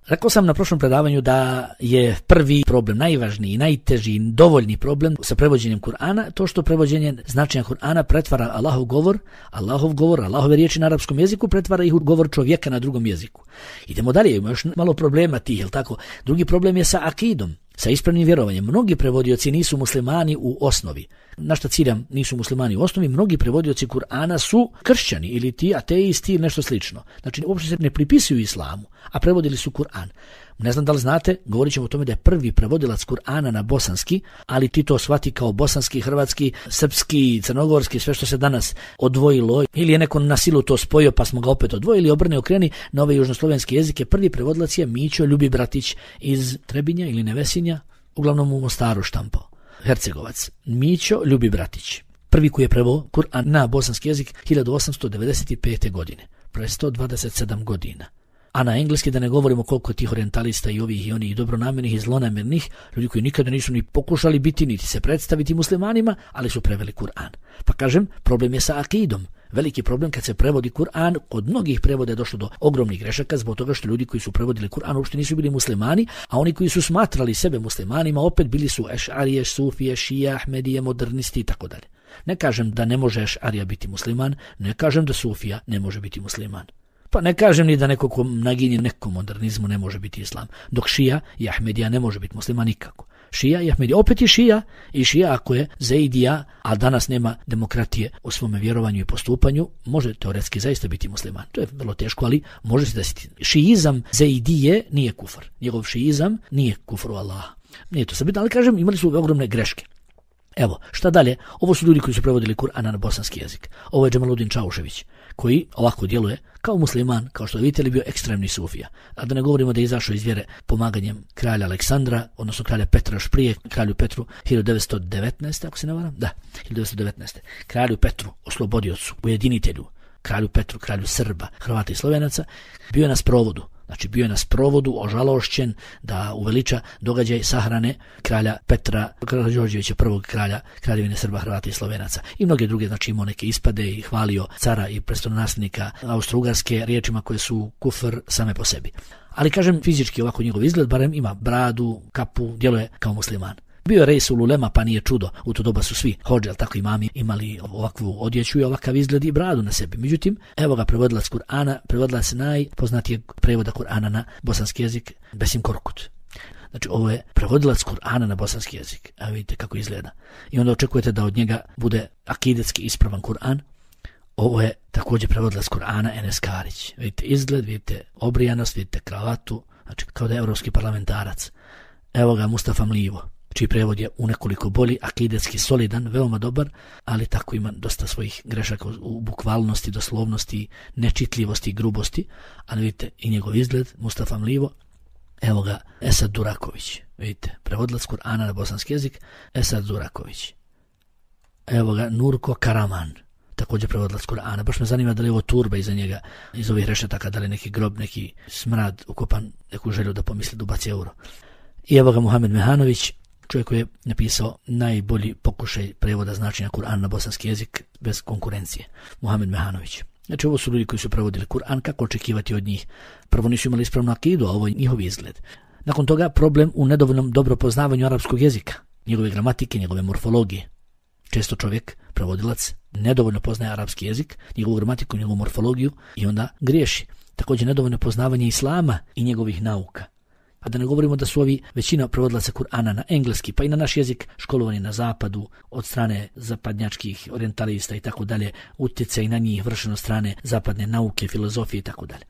Rekao sam na prošlom predavanju da je prvi problem, najvažniji, najteži, dovoljni problem sa prevođenjem Kur'ana, to što prevođenje značenja Kur'ana pretvara Allahov govor, Allahov govor, Allahove riječi na arapskom jeziku, pretvara ih u govor čovjeka na drugom jeziku. Idemo dalje, ima još malo problema tih, jel tako? Drugi problem je sa akidom, sa ispravnim vjerovanjem. Mnogi prevodioci nisu muslimani u osnovi. Na šta ciljam nisu muslimani u osnovi, mnogi prevodioci Kur'ana su kršćani ili ti ateisti ili nešto slično. Znači uopće se ne pripisuju islamu, a prevodili su Kur'an. Ne znam da li znate, govorit ćemo o tome da je prvi prevodilac Kur'ana na bosanski, ali ti to shvati kao bosanski, hrvatski, srpski, crnogorski, sve što se danas odvojilo, ili je neko na silu to spojio pa smo ga opet odvojili, obrne okreni na ove južnoslovenske jezike. Prvi prevodilac je Mićo Ljubi Bratić iz Trebinja ili Nevesinja, uglavnom u Mostaru štampao. Hercegovac. Mićo Ljubi Bratić. Prvi koji je preveo Kur'an na bosanski jezik hiljadu osamsto devedeset pete. godine. Pre sto dvadeset sedam godina. A na engleski da ne govorimo koliko tih orijentalista i ovih i onih dobronamjernih i zlonamernih, ljudi koji nikada nisu ni pokušali biti niti se predstaviti muslimanima, ali su preveli Kur'an. Pa kažem, problem je sa akidom. Veliki problem kad se prevodi Kur'an, kod mnogih prevoda je došlo do ogromnih grešaka zbog toga što ljudi koji su prevodili Kur'an uopšte nisu bili muslimani, a oni koji su smatrali sebe muslimanima opet bili su ešarije, sufije, šije, ahmedije, modernisti i tako dalje. Ne kažem da ne može ešarija biti musliman, ne kažem da sufija ne može biti musliman. Pa ne kažem ni da neko ko naginje nekom modernizmu ne može biti islam, dok šija i ahmedija ne može biti musliman nikako. Šija i ahmedija, opet i šija, i šija ako je zeidija, a danas nema demokratije u svome vjerovanju i postupanju, može teoretski zaista biti musliman. To je vrlo teško, ali može se desiti. Šijizam zeidije nije kufr. Njegov šijizam nije kufr u Allaha. Nije to sabitno, ali kažem, imali su ogromne greške. Evo, šta dalje? Ovo su ljudi koji su prevodili Kur'ana na bosanski jezik. Ovo je Džemaludin Čaušević, koji ovako djeluje kao musliman, kao što vidite, li bio ekstremni sufija. A da ne govorimo da je izašao iz vjere pomaganjem kralja Aleksandra, odnosno kralja Petra još prije, kralju Petru hiljadu devetsto devetnaeste. ako se ne varam, da, hiljadu devetsto devetnaeste. Kralju Petru, oslobodiocu, ujedinitelju, kralju Petru, kralju Srba, Hrvata i Slovenaca, bio je na sprovodu. Znači bio je na sprovodu ožalošćen da uveliča događaj sahrane kralja Petra Karađorđevića, prvog kralja Kraljevine Srba, Hrvata i Slovenaca. I mnoge druge, znači imao neke ispade i hvalio cara i prestolonaslednika Austro-Ugarske riječima koje su kufr same po sebi. Ali kažem, fizički ovako njegov izgled, barem ima bradu, kapu, djeluje kao musliman. Bio je Reisul Ulema, pa nije čudo, u to doba su svi hodže, ali tako imami, imali ovakvu odjeću i ovakav izgled i bradu na sebi. Međutim, evo ga prevodilac Kur'ana, prevodilac najpoznatijeg prevoda Kur'ana na bosanski jezik, Besim Korkut. Znači, ovo je prevodilac Kur'ana na bosanski jezik. Evo vidite kako izgleda. I onda očekujete da od njega bude akidetski ispravan Kur'an. Ovo je također prevodilac Kur'ana Enes Karić. Vidite izgled, vidite obrijanost, vidite kravatu, znači kao da je evropski parlamentarac. Evo ga Mustafa Mlivo, čiji prevod je u nekoliko bolji, akidetski solidan, veoma dobar, ali tako ima dosta svojih grešaka u bukvalnosti, doslovnosti, nečitljivosti i grubosti, ali vidite i njegov izgled, Mustafa Mlivo. Evo ga Esad Duraković, vidite, prevodilac Kur'ana na bosanski jezik, Esad Duraković. Evo ga Nurko Karaman, također prevodilac Kur'ana. Baš me zanima da li je ovo turba iza njega, iz ovih rešetaka, da li neki grob, neki smrad ukopan, neku želju da pomisli da ubaci euro. I evo ga Muhamed Mehanović, čovjek koji je napisao najbolji pokušaj prevoda značenja Kur'ana na bosanski jezik bez konkurencije. Muhamed Mehanović. Znači, ovo su ljudi koji su prevodili Kur'an, kako očekivati od njih? Prvo nisu imali ispravnu akidu, a ovo je njihov izgled. Nakon toga problem u nedovoljnom dobro poznavanju arapskog jezika, njegove gramatike, njegove morfologije. Često čovjek, prevodilac, nedovoljno poznaje arapski jezik, njegovu gramatiku, njegovu morfologiju i onda griješi. Također nedovoljno poznavanje islama i njegovih nauka. A da ne govorimo da su ovi većina prevodilaca Kur'ana na engleski, pa i na naš jezik školovani na zapadu od strane zapadnjačkih orientalista i tako dalje, utjecaj na njih vršen od strane zapadne nauke, filozofije i tako dalje.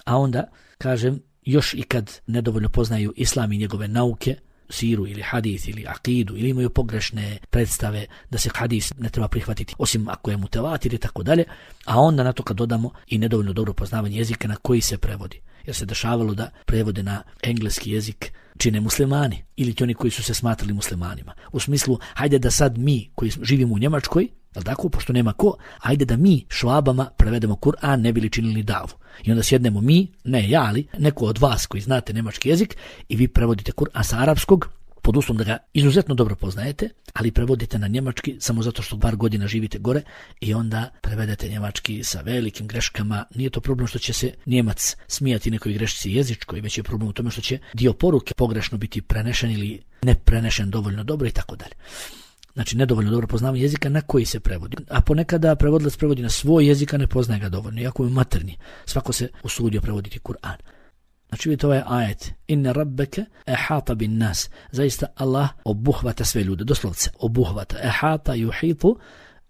A onda, kažem, još i kad nedovoljno poznaju islam i njegove nauke, siru ili hadis ili akidu, ili imaju pogrešne predstave da se hadis ne treba prihvatiti osim ako je mutevatir i tako dalje, a onda na to kad dodamo i nedovoljno dobro poznavanje jezika na koji se prevodi. Jer se dešavalo da prevode na engleski jezik čine muslimani ili ti oni koji su se smatrali muslimanima. U smislu, hajde da sad mi koji živimo u Njemačkoj, jel tako, pošto nema ko, hajde da mi švabama prevedemo Kur'an, ne bili činili davu. I onda sjednemo mi, ne ja, ali neko od vas koji znate njemački jezik i vi prevodite Kur'an sa arapskog, pod uslovom da ga izuzetno dobro poznajete, ali prevodite na njemački samo zato što bar godina živite gore i onda prevedete njemački sa velikim greškama. Nije to problem što će se Njemac smijati nekoj grešci jezičkoj, već je problem u tome što će dio poruke pogrešno biti prenešen ili ne prenešen dovoljno dobro i tako dalje. Znači, nedovoljno dobro poznavanje jezika na koji se prevodi. A ponekada prevodilac prevodi na svoj jezik, a ne poznaje ga dovoljno, iako je materni. Svako se usudio prevoditi Kur'an. Znači, vidite ovaj ajet. Inne rabbeke ehata bin nas. Zaista Allah obuhvata sve ljude. Doslovce, obuhvata. Ehata yuhitu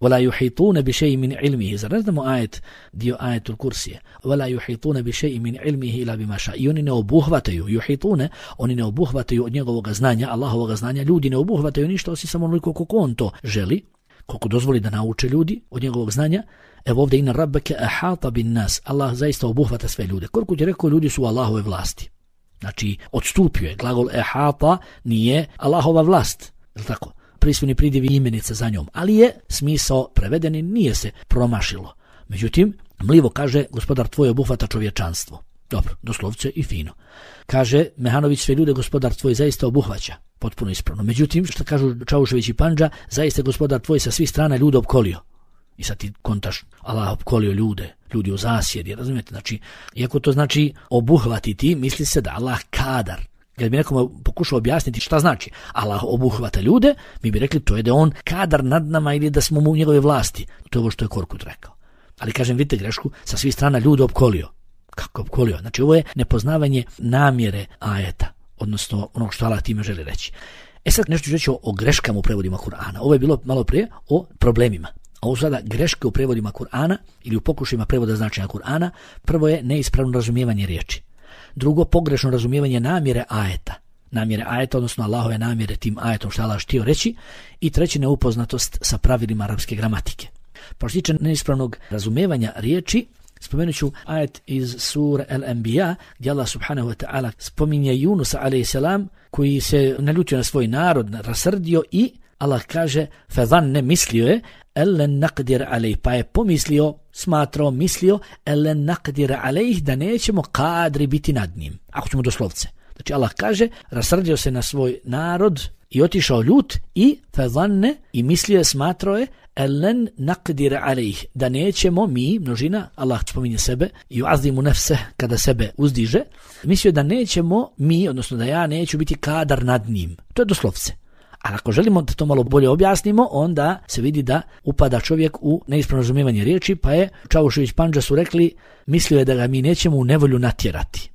ولا يحيطون بشيء من علمه. Zar ne znamo ajet, dio ajetul kursije? ولا يحيطون بشيء من علمه إلا بما شاء. I oni ne obuhvataju, yuhitune, oni ne obuhvataju od njegovog znanja, Allahovog znanja, ljudi ne obuhvataju ništa osim samo onoliko koliko on to želi, koliko dozvoli da nauče ljudi od njegovog znanja. Evo ovdje inna rabbeke ahata bin nas. Allah zaista obuhvata sve ljude. Koliko ti rekao, ljudi su u Allahove vlasti. Znači, odstupio je. Glagol ahata nije Allahova vlast. Je li tako? Prisvojni pridiv i imenica za njom. Ali je smisao preveden i nije se promašilo. Međutim, mlivo kaže, gospodar tvoj obuhvata čovječanstvo. Dobro, doslovce i fino. Kaže Mehanović, sve ljude gospodar tvoj zaista obuhvaća. Potpuno ispravno. Međutim, što kažu Čaušević i Pandža, zaista gospodar tvoj sa svih strana ljude opkolio. I sad ti kontaš, Allah opkolio ljude, ljudi u zasjedi, razumijete? Znači, iako to znači obuhvatiti, misli se da Allah kadar. Kad bi nekom pokušao objasniti šta znači Allah obuhvata ljude, mi bi rekli to je da on kadar nad nama ili da smo mu u njegove vlasti. To je ovo što je Korkut rekao. Ali kažem, vidite grešku, sa svih strana ljude opkolio. Kako opkolio? Znači, ovo je nepoznavanje namjere ajeta, odnosno onog što Allah time želi reći. E sad nešto ću reći o, o greškama u prevodima Kur'ana. Ovo je bilo malo prije o problemima. A ovo sada greške u prevodima Kur'ana ili u pokušajima prevoda značenja Kur'ana. Prvo je neispravno razumijevanje riječi. Drugo, pogrešno razumijevanje namjere ajeta. Namjere ajeta, odnosno Allahove namjere tim ajetom što Allah htio reći. I treći, neupoznatost sa pravilima arapske gramatike. Pa što se tiče neispravnog razumijevanja riječi, spomenut ću ajet iz sure Al-Anbiya gdje Allah subhanahu wa ta'ala spominje Yunusa alejhi selam koji se naljutio na svoj narod, rasrdio i Allah kaže fadhanne, mislio je ellen naqdir alejh, pa je pomislio, smatrao, mislio ellen naqdir alejh, da nećemo kadri biti nad njim, ako ćemo doslovce. Znači Allah kaže rasrdio se na svoj narod i otišao ljut i fadhanne, i mislio je, smatrao je ellen naqdir alejh, da nećemo mi, množina, Allah spominje sebe, i uazimu nefse, kada sebe uzdiže, mislio da nećemo mi, odnosno da ja neću biti kadar nad njim. To je doslovce. Ali ako želimo da to malo bolje objasnimo, onda se vidi da upada čovjek u neispravno razumijevanje riječi, pa je Čaušević Pandža su rekli, mislio je da ga mi nećemo u nevolju natjerati.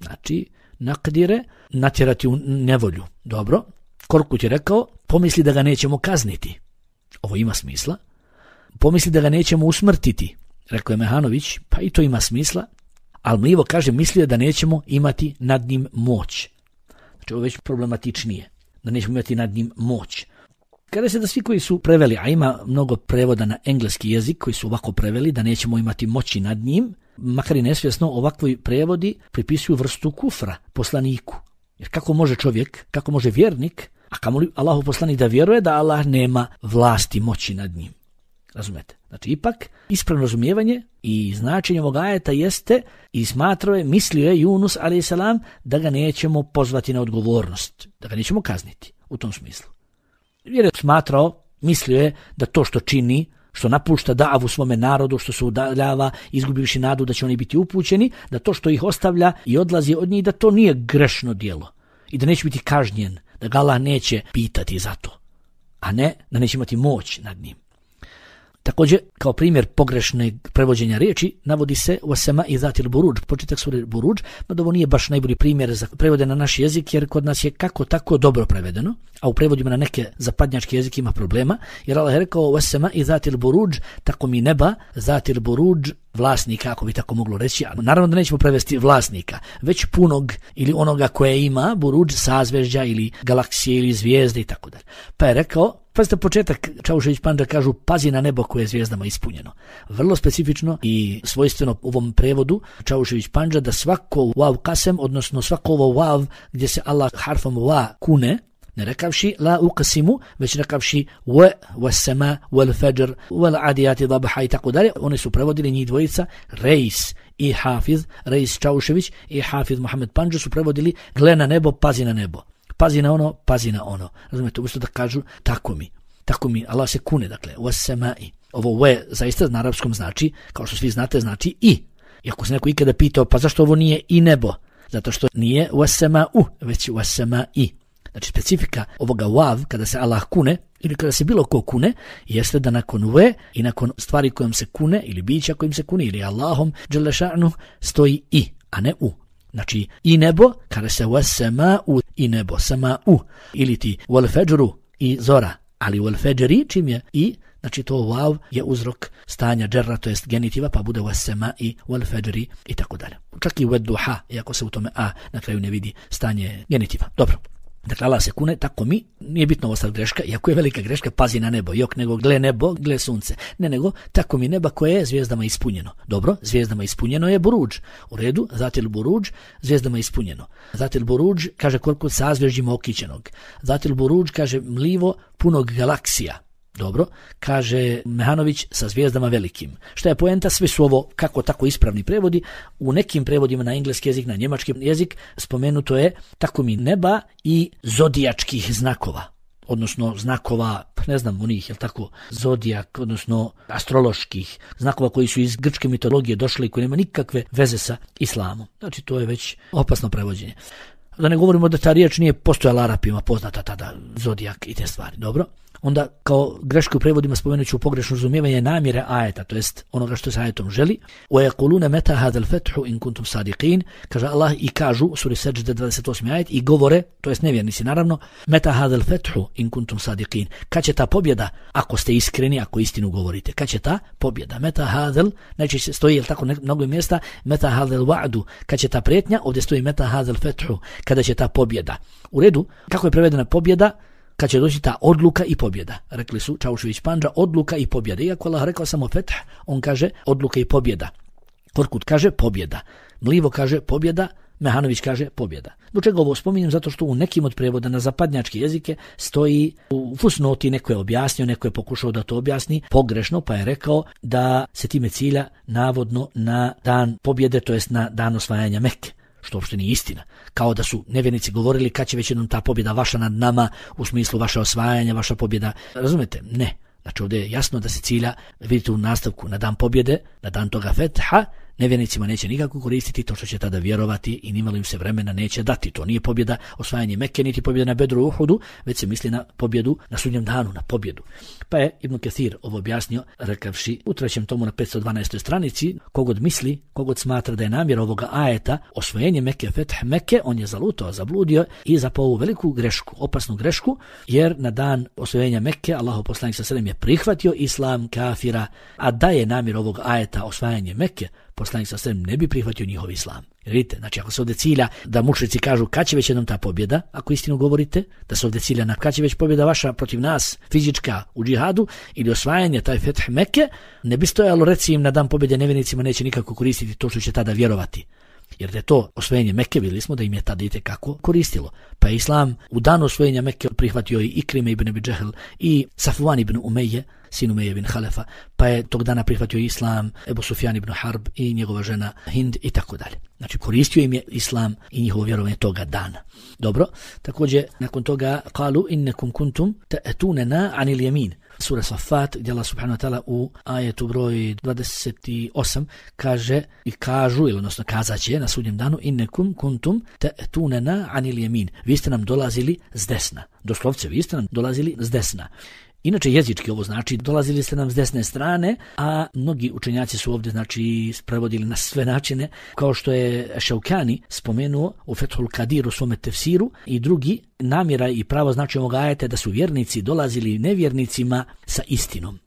Znači, naqdire, natjerati u nevolju. Dobro. Korkut je rekao, pomisli da ga nećemo kazniti. Ovo ima smisla. Pomisli da ga nećemo usmrtiti. Rekao je Mehanović, pa i to ima smisla. Ali Mlivo kaže, mislio da nećemo imati nad njim moć. Znači, ovo je već problematičnije. Da nećemo imati nad njim moć. Kada se da svi koji su preveli, a ima mnogo prevoda na engleski jezik koji su ovako preveli, da nećemo imati moći nad njim, makar i nesvjesno, ovakvi prevodi pripisuju vrstu kufra poslaniku. Jer kako može čovjek, kako može vjernik, a kamoli Allahu poslanik da vjeruje da Allah nema vlasti, moći nad njim. Razumete? Znači, ipak, ispravno razumijevanje i značenje ovog ajeta jeste i smatrao je, mislio je Yunus alejhi selam da ga nećemo pozvati na odgovornost, da ga nećemo kazniti u tom smislu. Jer je smatrao, mislio je da to što čini, što napušta davu svome narodu, što se udaljava, izgubivši nadu da će oni biti upućeni, da to što ih ostavlja i odlazi od njih, da to nije grešno djelo i da neće biti kažnjen, da ga Allah neće pitati za to, a ne da neće imati moć nad njim. Također, kao primjer pogrešnog prevođenja riječi, navodi se وَسَمَاءِ ذَاتِ الْبُرُوجِ, početak sure Buruđ, no da ovo nije baš najbolji primjer za prevode na naš jezik, jer kod nas je kako tako dobro prevedeno, a u prevodima na neke zapadnjačke jezike ima problema, jer Allah je rekao وَسَمَاءِ ذَاتِ الْبُرُوجِ, tako mi neba, ذَاتِ الْبُرُوجِ, vlasnika, ako bi tako moglo reći, a naravno da nećemo prevesti vlasnika, već punog ili onoga koje ima, buruđ, sazvežđa ili galaksije ili zvijezde i tako dalje. Pa je rekao, pazite početak, Čaušević Pandža kažu, pazi na nebo koje je zvijezdama ispunjeno. Vrlo specifično i svojstveno u ovom prevodu Čaušević Pandža da svako wav kasem, odnosno svako ovo wav gdje se Allah harfom wa kune, ne rekavši la uqsimu, već rekavši wa was-sama wal-fajr wal-adiyati dabha i tako dalje. Oni su prevodili njih dvojica, Reis i Hafiz, Reis Čaušević i Hafiz Mohamed Pandža su prevodili gle na nebo, pazi na nebo. Pazi na ono, pazi na ono. Razumijete, umjesto da kažu tako mi. Tako mi, Allah se kune, dakle, was-samai. Ovo we zaista na arapskom znači, kao što svi znate, znači i. I ako se neko ikada pitao, pa zašto ovo nije i nebo? Zato što nije was-samau, već was-samai. Znači, specifika ovoga wav, kada se Allah kune, ili kada se bilo ko kune, jeste da nakon we i nakon stvari kojom se kune, ili bića kojim se kune, ili Allahom, dželle ša'nu, stoji i, a ne u. Znači, i nebo, kada se was-samau, i nebo, samau, ili ti wal-fajru, i zora, ali wal-fajri, čim je i, Znači to vav je uzrok stanja džerra, to jest genitiva, pa bude was sema'i wal fajri i tako dalje. Čak i wad duha, iako se u tome a na kraju ne vidi stanje genitiva. Dobro. Dakle, Allah se kune, tako mi, nije bitno ovo sad greška, iako je velika greška, pazi na nebo, jok nego gle nebo, gle sunce. Ne nego, tako mi neba koje je zvijezdama ispunjeno. Dobro, zvijezdama ispunjeno je buruđ. U redu, zatil buruđ, zvijezdama ispunjeno. Zatil buruđ, kaže koliko sazvježđima okićenog. Zatil buruđ, kaže mlivo punog galaksija. Dobro, kaže Mehanović sa zvijezdama velikim. Šta je poenta? Sve su ovo kako tako ispravni prevodi. U nekim prevodima na engleski jezik, na njemački jezik spomenuto je tako mi neba i zodijačkih znakova. Odnosno znakova, ne znam onih, jel tako, zodijak, odnosno astroloških znakova koji su iz grčke mitologije došli i koji nema nikakve veze sa islamom. Znači to je već opasno prevođenje. Da ne govorimo da ta riječ nije postojala Arapima poznata tada, zodijak i te stvari, dobro? Onda kao greške u prevodima spomenut ću pogrešno razumijevanje namjere ajeta, to jest onoga što se ajetom želi. وَيَقُولُونَ مَتَا هَذَا الْفَتْحُ إِن كُنْتُمْ صَادِقِينَ, kaže Allah i kažu u suri Seđde dvadeset osmi ajet i govore, to jest nevjernici naravno, مَتَا هَذَا الْفَتْحُ إِن كُنْتُمْ صَادِقِينَ, kad će ta pobjeda, ako ste iskreni, ako istinu govorite, kad će ta pobjeda, مَتَا هَذَا, najčešće stoji, jel tako, mnogo mjesta, مَتَا هَذَا الْوَعْدُ, kad će ta prijetnja, ovdje stoji مَتَا هَذَا الْفَتْحُ, kada će ta pobjeda. U redu, kako je prevedena pobjeda? Kad će doći ta odluka i pobjeda. Rekli su Čaušević Pandža, odluka i pobjeda. Iako Allah rekao samo fetah, on kaže odluka i pobjeda. Korkut kaže pobjeda. Mlivo kaže pobjeda, Mehanović kaže pobjeda. Do čega ovo spominjem? Zato što u nekim od prevoda na zapadnjačke jezike stoji u fusnoti, neko je objasnio, neko je pokušao da to objasni pogrešno, pa je rekao da se time cilja navodno na dan pobjede, to jest na dan osvajanja Mekke. Što uopšte nije istina. Kao da su nevjernici govorili kad će već jednom ta pobjeda vaša nad nama, u smislu vaše osvajanja, vaša pobjeda. Razumete? Ne. Znači ovdje je jasno da se cilja, vidite u nastavku, na dan pobjede, na dan toga fetha, nevjernicima neće nikako koristiti to što će tada vjerovati i nimalo im se vremena neće dati. To nije pobjeda osvajanje Mekke, niti pobjeda na Bedru i Uhudu, već se misli na pobjedu na sudnjem danu, na pobjedu. Pa je Ibn Kathir ovo objasnio, rekavši u trećem tomu na petsto dvanaestoj stranici, kogod misli, kogod smatra da je namjera ovoga ajeta osvojenje Mekke, fetah Mekke, on je zalutao, zabludio i zapao ovu veliku grešku, opasnu grešku, jer na dan osvojenja Mekke Allahov poslanik sallallahu alejhi ve sellem je prihvatio islam kafira, a da je namjera ovog ajeta osvajanje Mekke, poslanik sallallahu alejhi ve sellem ne bi prihvatio njihov islam. Jer vidite, znači ako se ovdje cilja da mušrici kažu kad će već jednom ta pobjeda, ako istinu govorite, da se ovdje cilja na kad će već pobjeda vaša protiv nas, fizička u džihadu ili osvajanje taj fetah Mekke, ne bi stojalo reci im na dan pobjede nevjernicima neće nikako koristiti to što će tada vjerovati. Jer da je to osvojenje Mekke, vidjeli smo da im je tada itekako koristilo. Pa je islam u danu osvojenja Mekke prihvatio i Ikrime ibn Abi Džehl i Safvan ibn Umeje, sin Umeje ibn Halefa, pa je tog dana prihvatio islam Ebu Sufjan ibn Harb i njegova žena Hind i tako dalje. Znači koristio im je islam i njihovo vjerovanje toga dana. Dobro, također nakon toga qalu innakum kuntum ta'tunana anil yamin. Sura Safat, gdje Allah subhanahu wa ta'ala u ajetu broj dvadeset osam kaže i kažu, ili odnosno kazaće na sudnjem danu innakum kuntum ta'tunana anil yamin. Vi ste nam dolazili s desna. Doslovce, vi ste nam dolazili s desna. Inače jezički ovo znači dolazili ste nam s desne strane, a mnogi učenjaci su ovdje znači prevodili na sve načine, kao što je Šaukani spomenuo u Fethul Kadir u svome tefsiru i drugi, namjera i pravo znači ovog ajeta da su vjernici dolazili nevjernicima sa istinom.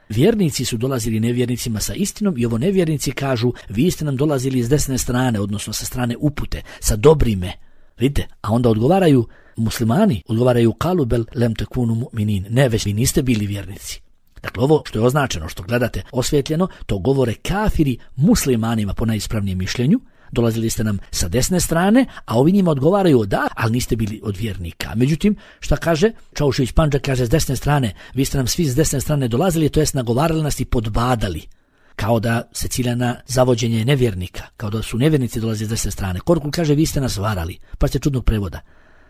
Vjernici su dolazili nevjernicima sa istinom i ovo nevjernici kažu vi ste nam dolazili s desne strane, odnosno sa strane upute, sa dobrime. Vidite, a onda odgovaraju muslimani, odgovaraju kalu bel lem tekunu mu'minin, ne već vi niste bili vjernici. Dakle, ovo što je označeno, što gledate osvjetljeno, to govore kafiri muslimanima po najispravnijem mišljenju, dolazili ste nam sa desne strane, a ovi njima odgovaraju da, ali niste bili od vjernika. Međutim, šta kaže? Čaušević Pandža kaže s desne strane, vi ste nam svi s desne strane dolazili, to jest nagovarali nas i podbadali. Kao da se cilja na zavođenje nevjernika, kao da su nevjernici dolazili s desne strane. Korkul kaže vi ste nas varali, pa ste čudnog prevoda.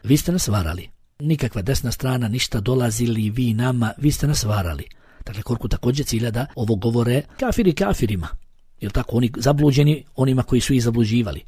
Vi ste nas varali. Nikakva desna strana, ništa dolazili vi nama, vi ste nas varali. Dakle, Korkul također cilja da ovo govore kafiri kafirima. Jer tako, oni zabluđeni onima koji su ih zabluđivali.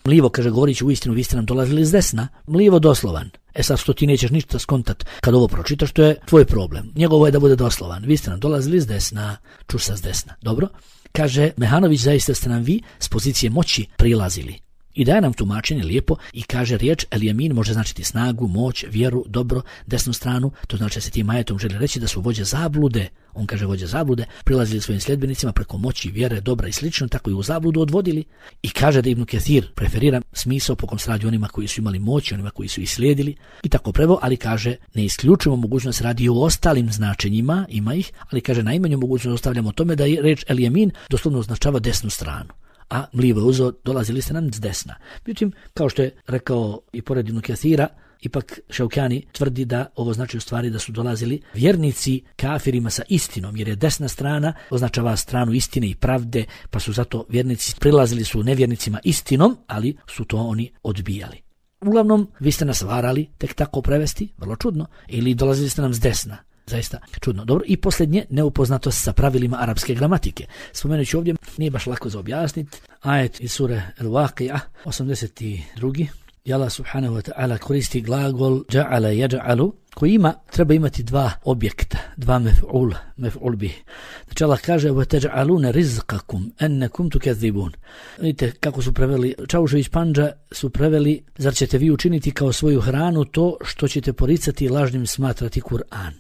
Mlivo kaže, govorići u istinu, vi ste nam dolazili s desna. Mlivo doslovan. E sad što ti nećeš ništa skontat kad ovo pročitaš, to je tvoj problem. Njegovo je da bude doslovan. Vi ste nam dolazili s desna, čuša s desna. Dobro? Kaže, Mehanović, zaista ste nam vi s pozicije moći prilazili. I daje nam tumačenje lijepo i kaže riječ el-jamin može značiti snagu, moć, vjeru, dobro, desnu stranu. To znači da se tim ajetom želi reći da su vođe zablude, on kaže vođe zablude, prilazili svojim sljedbenicima preko moći, vjere, dobra i slično, tako i u zabludu odvodili. I kaže da Ibn Kathir preferira smisao po kom se radi onima koji su imali moć, onima koji su ih slijedili i tako preveo, ali kaže ne isključujemo mogućnost radi i o ostalim značenjima, ima ih, ali kaže najmanju mogućnost ostavljamo tome da je reč el-jamin doslovno označava desnu stranu. A mlivo je uzo, dolazili ste nam s desna. Međutim, kao što je rekao i pored Ibn Kathira, ipak Šaukjani tvrdi da ovo znači u stvari da su dolazili vjernici kafirima sa istinom, jer je desna strana označava stranu istine i pravde, pa su zato vjernici prilazili su nevjernicima istinom, ali su to oni odbijali. Uglavnom, vi ste nas varali tek tako prevesti, vrlo čudno, ili dolazili ste nam s desna. Zaista čudno. Dobro, i posljednje, neupoznatost sa pravilima arapske gramatike. Spomenući ovdje, nije baš lako za objasniti. Ajet iz sure El-Waqi'a, osamdeset drugi I Allah subhanahu wa ta'ala koristi glagol ja'ala yaj'alu, koji ima, treba imati dva objekta, dva mef'ul, mef'ul bih. Znači Allah kaže wa taj'aluna rizqakum annakum tukadzibun. Vidite kako su preveli, Čaušević Pandža su preveli, zar ćete vi učiniti kao svoju hranu to što ćete poricati i lažnim smatrati Kur'an.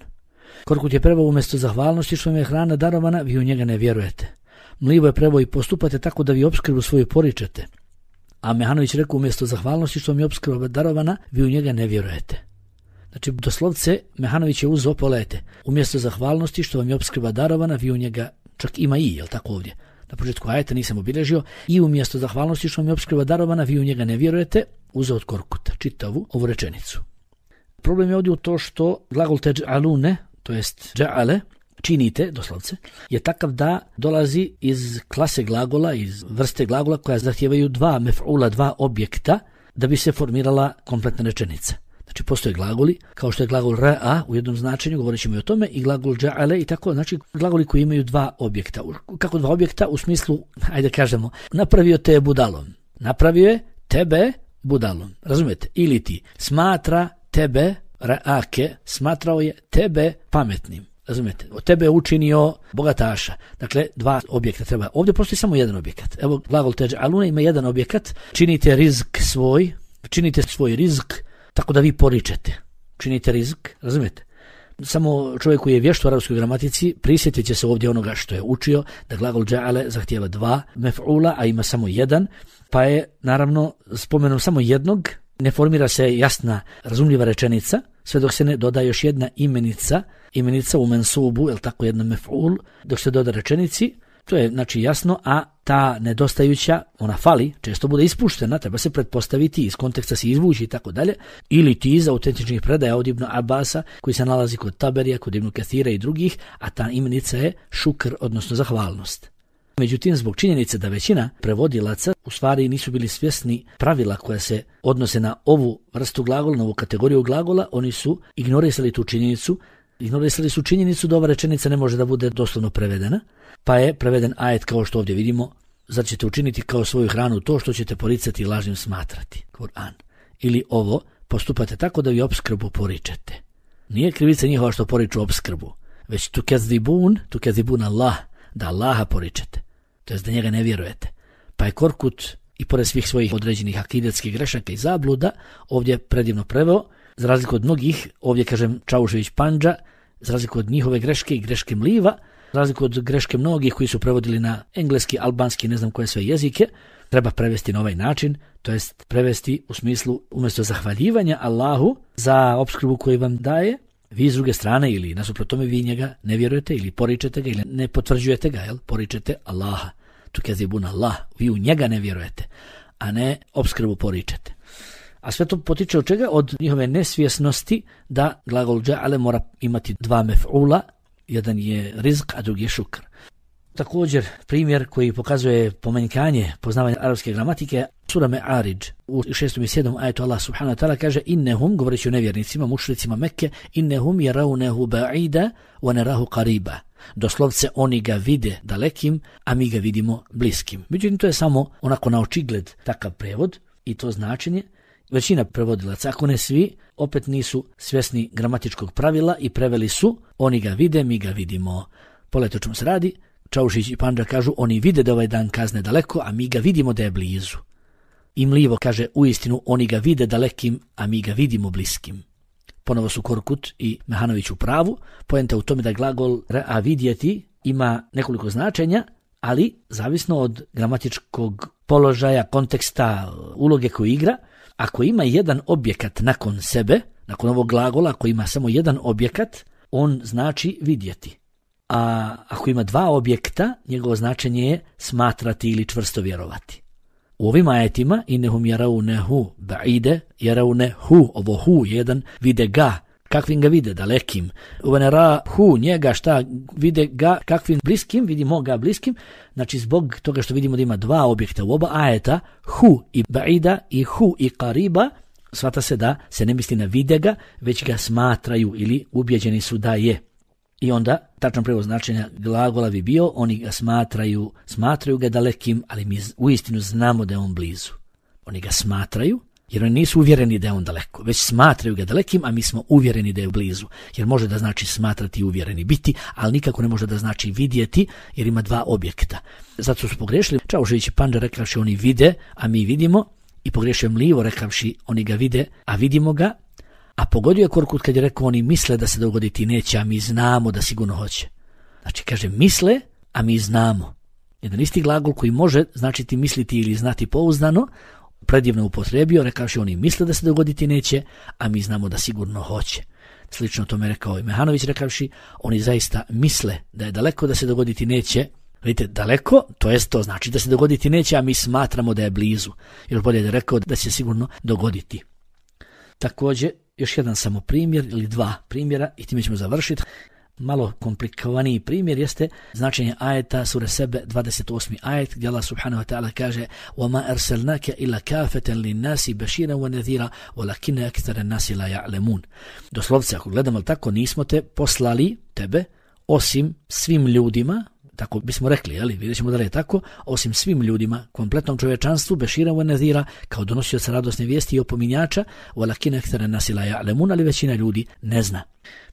Korkut je preveo umjesto zahvalnosti što vam je hrana darovana, vi u njega ne vjerujete. Mlivo je preveo i postupate tako da vi opskrbu svoju poričete. A Mehanović rekao umjesto zahvalnosti što vam je opskrba darovana, vi u njega ne vjerujete. Znači, doslovce, Mehanović je uzeo, pogledajte, umjesto zahvalnosti što vam je opskrba darovana, vi u njega, čak ima i, jel tako ovdje? Na početku ajeta nisam obilježio, i umjesto zahvalnosti što vam je opskrba darovana, vi u njega ne vjerujete, uzeo od Korkuta, čitavu ovu rečenicu. Problem je ovdje u to što glagol teđ'alune, to jest dža'ale, činite, doslovce, je takav da dolazi iz klase glagola, iz vrste glagola koja zahtijevaju dva mef'ula, dva objekta, da bi se formirala kompletna rečenica. Znači, postoje glagoli, kao što je glagol ra'a u jednom značenju, govorit ćemo i o tome, i glagol dža'ale i tako, znači glagoli koji imaju dva objekta. Kako dva objekta? U smislu, ajde kažemo, napravio te budalom. Napravio je tebe budalom. Razumijete? Ili ti smatra tebe, ra'ake, smatrao je tebe pametnim. Razumijete? Od tebe je učinio bogataša. Dakle, dva objekta treba. Ovdje postoji samo jedan objekat. Evo, glagol teđ'alune ima jedan objekat. Činite rizk svoj, činite svoj rizk tako da vi poričete. Činite rizk, razumijete? Samo čovjek koji je vješt u arapskoj gramatici prisjetit će se ovdje onoga što je učio, da glagol dža'ale zahtijeva dva mef'ula, a ima samo jedan, pa je naravno spomenom samo jednog, ne formira se jasna, razumljiva rečenica, sve dok se ne doda još jedna imenica, imenica u mensubu, jel tako, jedna mef'ul, dok se doda rečenici, to je znači jasno, a ta nedostajuća, ona fali, često bude ispuštena, treba se pretpostaviti, iz konteksta se izvući i tako dalje, ili ti iz autentičnih predaja od Ibn Abasa, koji se nalazi kod Taberija, kod Ibn Kathira i drugih, a ta imenica je šukr, odnosno zahvalnost. Međutim, zbog činjenice da većina prevodilaca u stvari nisu bili svjesni pravila koja se odnose na ovu vrstu glagola, na ovu kategoriju glagola, oni su ignorisali tu činjenicu, ignorisali su činjenicu da ova rečenica ne može da bude doslovno prevedena, pa je preveden ajet kao što ovdje vidimo, zar ćete učiniti kao svoju hranu to što ćete poricati i lažnim smatrati, Kur'an. Ili ovo, postupate tako da vi opskrbu poričete. Nije krivica njihova što poriču opskrbu, već tu kezibun, tu kezibun Allah, da Allaha poričete. To jest da njega ne vjerujete. Pa je Korkut i pored svih svojih određenih akidetskih grešaka i zabluda ovdje predivno preveo, za razliku od mnogih, ovdje kažem Čaušević Pandža, za razliku od njihove greške i greške Mliva, za razliku od greške mnogih koji su prevodili na engleski, albanski, ne znam koje sve jezike, treba prevesti na ovaj način, to jest prevesti u smislu umjesto zahvaljivanja Allahu za opskrbu koju vam daje, vi s druge strane ili nasuprot tome vi njega ne vjerujete ili poričete ga ili ne potvrđujete ga, jel? Poričete Allaha. Tu kezibun Allah, vi u njega ne vjerujete, a ne opskrbu poričete. A sve to potiče od čega? Od njihove nesvjesnosti da glagol dža'ale mora imati dva mef'ula, jedan je rizq, a drugi je šukr. Također, primjer koji pokazuje pomanjkanje poznavanja arapske gramatike, sura Me'arij, u šestom i sedmom ajetu Allah subhanahu wa ta'ala kaže innehum, govoreći o nevjernicima, mušricima Mekke, innehum yarawnahu ba'ida wa narahu qariba. Doslovce oni ga vide dalekim, a mi ga vidimo bliskim. Međutim, to je samo onako na očigled takav prevod i to značenje. Većina prevodilaca, ako ne svi, opet nisu svjesni gramatičkog pravila i preveli su oni ga vide, mi ga vidimo. Pogledajte o čemu se radi. Čaušić i Pandža kažu oni vide da ovaj dan kazne daleko, a mi ga vidimo da je blizu. imljivo, kaže, uistinu oni ga vide dalekim, a mi ga vidimo bliskim. Ponovo su Korkut i Mehanović u pravu. Poenta u tome da glagol a vidjeti ima nekoliko značenja, ali zavisno od gramatičkog položaja, konteksta, uloge koju igra. Ako ima jedan objekat nakon sebe, nakon ovog glagola, ako ima samo jedan objekat, on znači vidjeti. A ako ima dva objekta, njegovo značenje je smatrati ili čvrsto vjerovati. U ovim ajetima innehum yarawnehu ba'ide, yarawnehu, ovo hu jedan, vide ga, kakvim ga vide, dalekim. Uvenera hu, njega šta vide ga, kakvim bliskim, vidimo ga bliskim. Znači zbog toga što vidimo da ima dva objekta u oba ajeta, hu i ba'ida i hu i qariba, shvata se da se ne misli na vide ga, već ga smatraju ili ubjeđeni su da je. I onda, tačan prevod značenja glagola bi bio, oni ga smatraju, smatraju ga dalekim, ali mi uistinu znamo da je on blizu. Oni ga smatraju, jer oni nisu uvjereni da je on daleko, već smatraju ga dalekim, a mi smo uvjereni da je blizu. Jer može da znači smatrati i uvjereni biti, ali nikako ne može da znači vidjeti, jer ima dva objekta. Zato su pogrešili. Čaušević i Pandža rekavši oni vide, a mi vidimo, i pogrešio Mlivo rekavši oni ga vide, a vidimo ga. A pogodio je Korkut kad je rekao oni misle da se dogoditi neće, a mi znamo da sigurno hoće. Znači kaže misle, a mi znamo. Jedan isti glagol koji može značiti misliti ili znati pouzdano, predivno upotrebio, rekavši oni misle da se dogoditi neće, a mi znamo da sigurno hoće. Slično tome je rekao i Mehanović rekavši, oni zaista misle da je daleko da se dogoditi neće. Vidite, daleko, to jest to znači da se dogoditi neće, a mi smatramo da je blizu. Još bolje je rekao da će se sigurno dogoditi. Također, još jedan samo primjer ili dva primjera i time ćemo završiti. Malo komplikovaniji primjer jeste značenje ajeta sure Sebe dvadeset osmi ajet gdje Allah subhanahu wa ta'ala kaže وَمَا أَرْسَلْنَاكَ إِلَّا كَافَةً لِلنَّاسِ بَشِيرًا وَنَذِيرًا وَلَكِنَّ أَكْثَرَ النَّاسِ لَا يَعْلَمُونَ. Doslovce, ako gledamo tako, nismo te poslali, tebe, osim svim ljudima, tako bismo rekli, jeli, vidjet ćemo da li je tako, osim svim ljudima, kompletnom čovječanstvu, bešira wa nadhira, kao donosioca radosne vijesti i opominjača, walakin akthara nasi la ya'lamun, ali većina ljudi ne zna.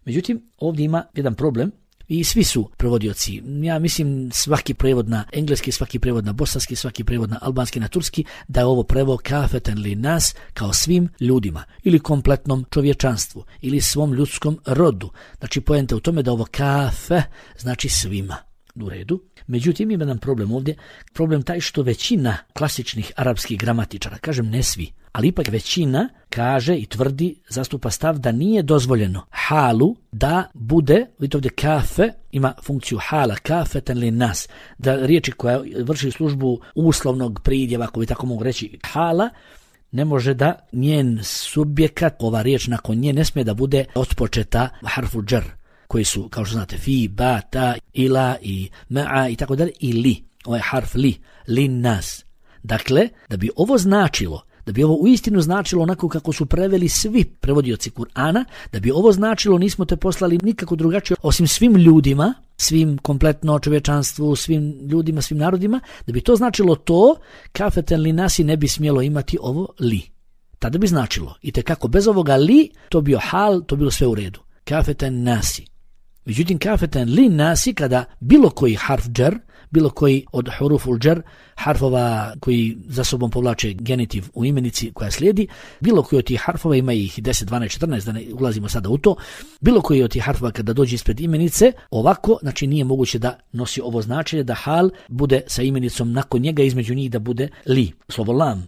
Međutim, ovdje ima jedan problem i svi su prevodioci. Ja mislim svaki prevod na engleski, svaki prevod na bosanski, svaki prevod na albanski, na turski, da je ovo prevod kafeten li nas, kao svim ljudima, ili kompletnom čovječanstvu, ili svom ljudskom rodu. Znači, poenta u tome da ovo kafe znači svima. U redu. Međutim, ima jedan problem ovdje. Problem taj što većina klasičnih arapskih gramatičara, kažem ne svi, ali ipak većina kaže i tvrdi, zastupa stav da nije dozvoljeno halu da bude, vidite ovdje kafe, ima funkciju hala, kafeten li nas, da riječi koja vrši službu uslovnog pridjeva, ako bi tako mogu reći hala, ne može da njen subjekat, ova riječ nakon nje, ne smije da bude otpočeta harfu džer, koji su, kao što znate, fi, ba, ta, ila i ma'a i tako dalje, i li, ovaj harf li, li nas. Dakle, da bi ovo značilo, da bi ovo uistinu značilo onako kako su preveli svi prevodioci Kur'ana, da bi ovo značilo nismo te poslali nikako drugačije, osim svim ljudima, svim kompletno čovječanstvu, svim ljudima, svim narodima, da bi to značilo to, kafeten li nasi ne bi smjelo imati ovo li. Tada bi značilo, i tekako bez ovoga li, to bio hal, to bilo sve u redu. Kafeten nasi. Međutim, kafeten li nasi, kada bilo koji harf džer, bilo koji od huruful džer, harfova koji za sobom povlače genitiv u imenici koja slijedi, bilo koji od tih harfova, ima ih deset, dvanaest, četrnaest, da ne ulazimo sada u to, bilo koji od tih harfova kada dođe ispred imenice, ovako, znači nije moguće da nosi ovo značenje, da hal bude sa imenicom nakon njega, između njih da bude li, slovo lam.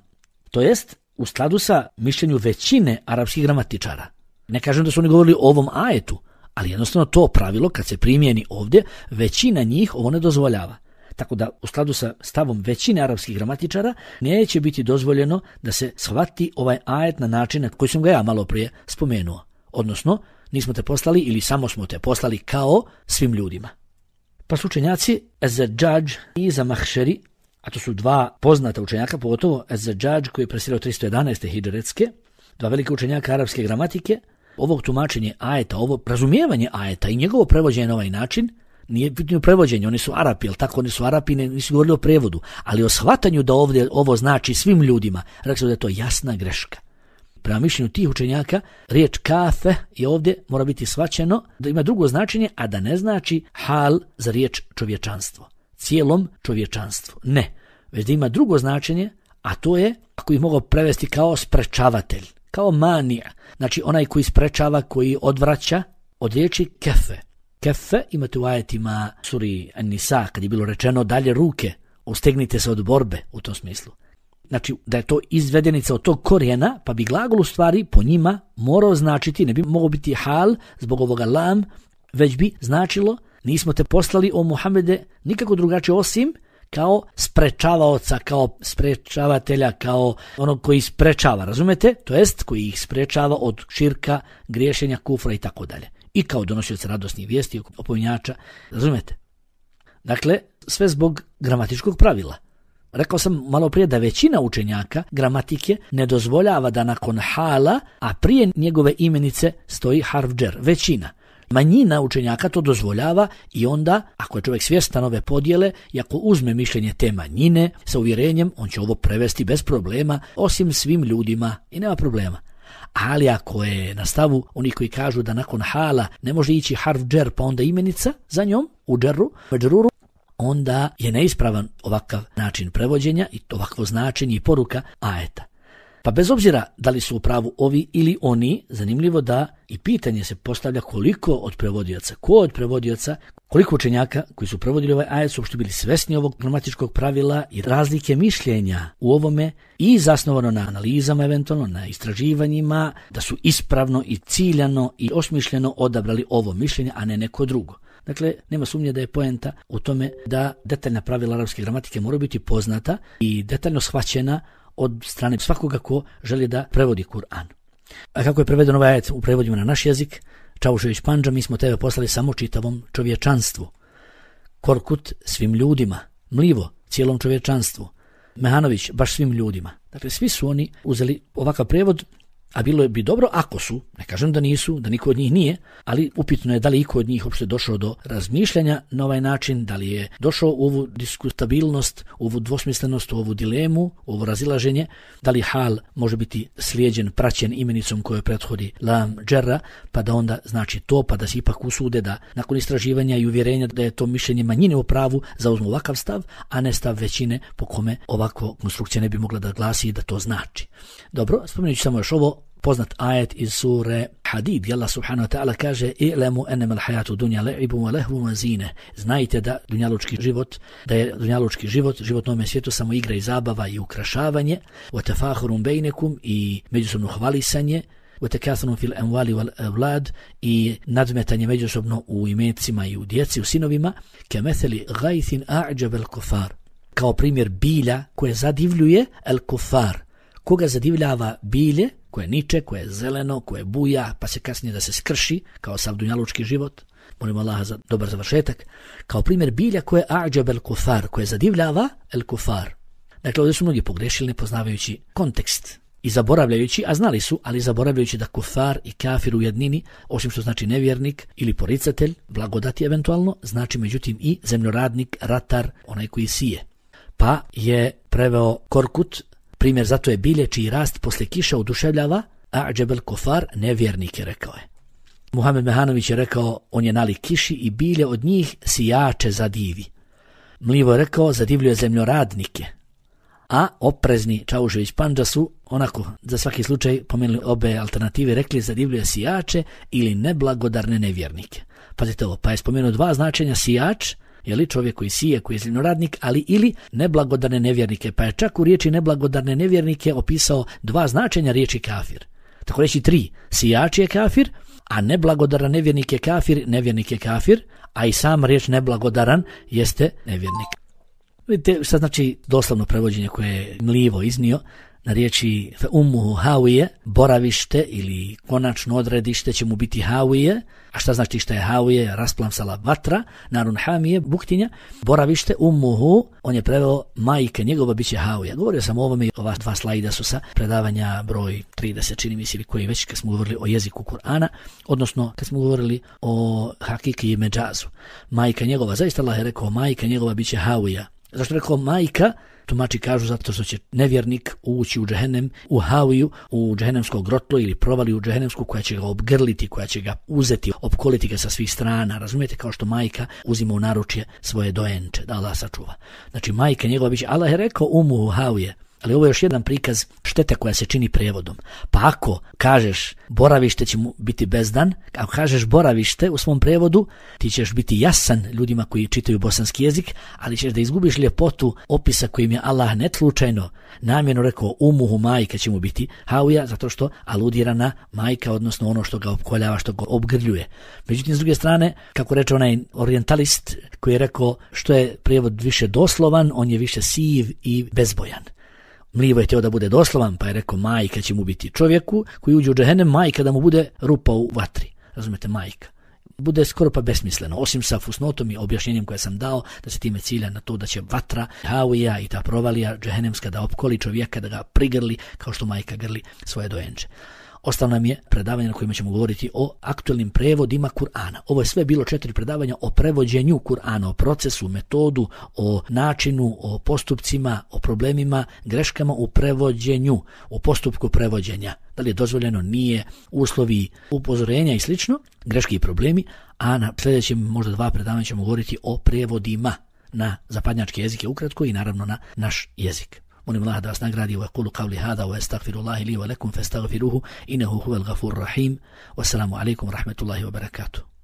To jest, u skladu sa mišljenju većine arapskih gramatičara. Ne kažem da su oni govorili o ovom ajetu, ali jednostavno to pravilo, kad se primijeni ovdje, većina njih ovo ne dozvoljava. Tako da, u skladu sa stavom većine arapskih gramatičara, neće biti dozvoljeno da se shvati ovaj ajet na način na koji sam ga ja malo prije spomenuo. Odnosno, nismo te poslali ili samo smo te poslali kao svim ljudima. Pa su učenjaci Ez-Zajjadž i Zamahšeri, a to su dva poznata učenjaka, pogotovo Ez-Zajjadž koji je presirao tristo jedanaeste hidžretske, dva velike učenjaka arapske gramatike, ovog tumačenje ajeta, ovo razumijevanje ajeta i njegovo prevođenje na ovaj način, nije pitanje prevođenje, oni su Arapi, jel tako, oni su Arapi, ne, nisu govorili o prevodu, ali o shvatanju da ovdje ovo znači svim ljudima, rekli su da je to jasna greška. Prema mišljenju tih učenjaka, riječ kafe je ovdje mora biti shvaćeno da ima drugo značenje, a da ne znači hal za riječ čovječanstvo, cijelom čovječanstvu. Ne, već da ima drugo značenje, a to je, ako ih mogu prevesti kao sprečavatelj, kao manija, znači onaj koji sprečava, koji odvraća, od riječi kefe. Kefe imate u ajetima suri An-Nisa, kad je bilo rečeno dalje ruke, ustegnite se od borbe u tom smislu. Znači da je to izvedenica od tog korijena, pa bi glagol u stvari po njima morao značiti, ne bi mogao biti hal zbog ovoga lam, već bi značilo nismo te poslali o Muhammede nikako drugačije osim kao sprečavaoca, kao sprečavatelja, kao onog koji sprečava, razumete? To jest koji ih sprečava od širka, griješenja, kufra i tako dalje. I kao donosioca radosnih vijesti, opominjača, razumete? Dakle, sve zbog gramatičkog pravila. Rekao sam malo prije da većina učenjaka gramatike ne dozvoljava da nakon hala, a prije njegove imenice stoji harf džer. Većina. Manjina učenjaka to dozvoljava i onda, ako je čovjek svjestan ove podjele i ako uzme mišljenje te manjine sa uvjerenjem, on će ovo prevesti bez problema, osim svim ljudima i nema problema. Ali ako je na stavu onih koji kažu da nakon hala ne može ići harf džer pa onda imenica za njom, u džeru, međruru, onda je neispravan ovakav način prevođenja i ovakvo značenje i poruka ajeta. Pa bez obzira da li su u pravu ovi ili oni, zanimljivo da i pitanje se postavlja koliko od prevodioca, ko od prevodioca, koliko učenjaka koji su prevodili ovaj ajet su uopšte bili svesni ovog gramatičkog pravila i razlike mišljenja u ovome i zasnovano na analizama, eventualno na istraživanjima, da su ispravno i ciljano i osmišljeno odabrali ovo mišljenje, a ne neko drugo. Dakle, nema sumnje da je poenta u tome da detaljna pravila arapske gramatike moraju biti poznata i detaljno shvaćena od strane svakoga ko želi da prevodi Kur'an. A kako je preveden ovaj ajet u prevodima na naš jezik? Čavušević Pandža, mi smo tebe poslali samo čitavom čovječanstvu. Korkut svim ljudima. Mlivo cijelom čovječanstvu. Mehanović baš svim ljudima. Dakle, svi su oni uzeli ovakav prevod, a bilo bi dobro ako su, ne kažem da nisu, da niko od njih nije, ali upitno je da li iko od njih uopšte došao do razmišljanja na ovaj način, da li je došao u ovu diskutabilnost, u ovu dvosmislenost, u ovu dilemu, u ovo razilaženje, da li hal može biti slijeđen, praćen imenicom kojoj prethodi lam džerra, pa da onda znači to, pa da se ipak usude da nakon istraživanja i uvjerenja da je to mišljenje manjine u pravu, zauzmu ovakav stav, a ne stav većine po kome ovako konstrukcija ne bi mogla da glasi i da to znači. Dobro, spomenut ću samo još ovo, poznat ajet iz sure Hadid, Allah subhanahu wa ta'ala kaže i'lamu annama al-hayatu dunya la'ibun wa lahvun wa zina. Znajte da dunjalučki život, da je dunjalučki život, život na ovom svijetu samo igra i zabava i ukrašavanje, wa tafakhurun bainakum i međusobno hvalisanje, wa takathurun fil amwali wal awlad i nadmetanje međusobno u imecima i u djeci, u sinovima, kamathali ghaythin a'jaba al-kuffar. Kao primjer bilja koje zadivljuje al-kuffar. Koga zadivljava bilje, koje niče, koje je zeleno, koje buja, pa se kasnije da se skrši, kao sav dunjalučki život, molimo Allaha za dobar završetak, kao primjer bilja koje a'đab el kufar, koje zadivljava el kufar. Dakle, ovdje su mnogi pogrešili nepoznavajući kontekst i zaboravljajući, a znali su, ali zaboravljajući da kufar i kafir u jednini, osim što znači nevjernik ili poricatelj, blagodati eventualno, znači međutim i zemljoradnik, ratar, onaj koji sije. Pa je preveo Korkut, primjer zato je bilje čiji rast posle kiša oduševljava, a džebel kofar nevjernik je, rekao je. Muhammed Mehanović je rekao, on je nalik kiši i bilje od njih sijače zadivi. Mlivo je rekao, zadivljuje zemljoradnike. A oprezni Čaušević Pandža su, onako, za svaki slučaj pomenuli obe alternative, rekli zadivljuje sijače ili neblagodarne nevjernike. Pazite ovo, pa je spomenuo dva značenja sijač, je li čovjek koji sije, koji je zemljoradnik, ali ili neblagodarne nevjernike, pa je čak u riječi neblagodarne nevjernike opisao dva značenja riječi kafir. Tako reći tri, sijač je kafir, a neblagodaran nevjernik je kafir, nevjernik je kafir, a i sam riječ neblagodaran jeste nevjernik. Vidite šta znači doslovno prevođenje koje je Mlivo iznio na riječi ummuhu havije, boravište ili konačno odredište će mu biti havije. A šta znači šta je havije? Rasplamsala vatra, narun hamije, buktinja. Boravište ummuhu, on je preveo majke njegova bit će havija. Govorio sam o ovome, ova dva slajda su sa predavanja broj trideset, čini mi se, ili koji već kad smo govorili o jeziku Kur'ana, odnosno kad smo govorili o hakiki i međazu. Majka njegova, zaista Allah je rekao, majka njegova bit će havija. Zašto je rekao majka? Tumači kažu zato što će nevjernik ući u džehennem, u haviju, u džehennemsko grotlo ili provali u džehennemsku koja će ga obgrliti, koja će ga uzeti, opkoliti ga sa svih strana. Razumijete, kao što majka uzima u naručje svoje dojenče, da Allah sačuva. Znači majka njegova biće, Allah je rekao umu havije. Ali ovo je još jedan prikaz štete koja se čini prijevodom. Pa ako kažeš boravište će mu biti bezdan, ako kažeš boravište u svom prijevodu, ti ćeš biti jasan ljudima koji čitaju bosanski jezik, ali ćeš da izgubiš ljepotu opisa kojim je Allah netlučajno namjerno rekao umuhu majka će mu biti hauja, zato što aludira na majka, odnosno ono što ga opkoljava, što ga obgrljuje. Međutim, s druge strane, kako reče onaj orijentalist koji je rekao što je prijevod više doslovan, on je više siv i bezbojan. Mlivo je htio da bude doslovan, pa je rekao majka će mu biti čovjeku koji uđe u džehennem, majka da mu bude rupa u vatri. Razumete, majka. Bude skoro pa besmisleno, osim sa fusnotom i objašnjenjem koje sam dao, da se time cilja na to da će vatra, havija i ta provalija džehennemska da opkoli čovjeka, da ga prigrli kao što majka grli svoje dojenče. Ostalo nam je predavanje na kojima ćemo govoriti o aktualnim prevodima Kur'ana. Ovo je sve bilo četiri predavanja o prevođenju Kur'ana, o procesu, metodu, o načinu, o postupcima, o problemima, greškama u prevođenju, u postupku prevođenja. Da li je dozvoljeno, nije, uslovi upozorenja i slično, greške i problemi, a na sljedećem možda dva predavanja ćemo govoriti o prevodima na zapadnjačke jezike ukratko i naravno na naš jezik. Molim Allah da vas nagradi wa qulu qawli hada wa astaghfirullahi li wa lakum fastaghfiruhu innahu huwal ghafurur rahim. Wassalamu alaikum wa rahmatullahi wa barakatuh.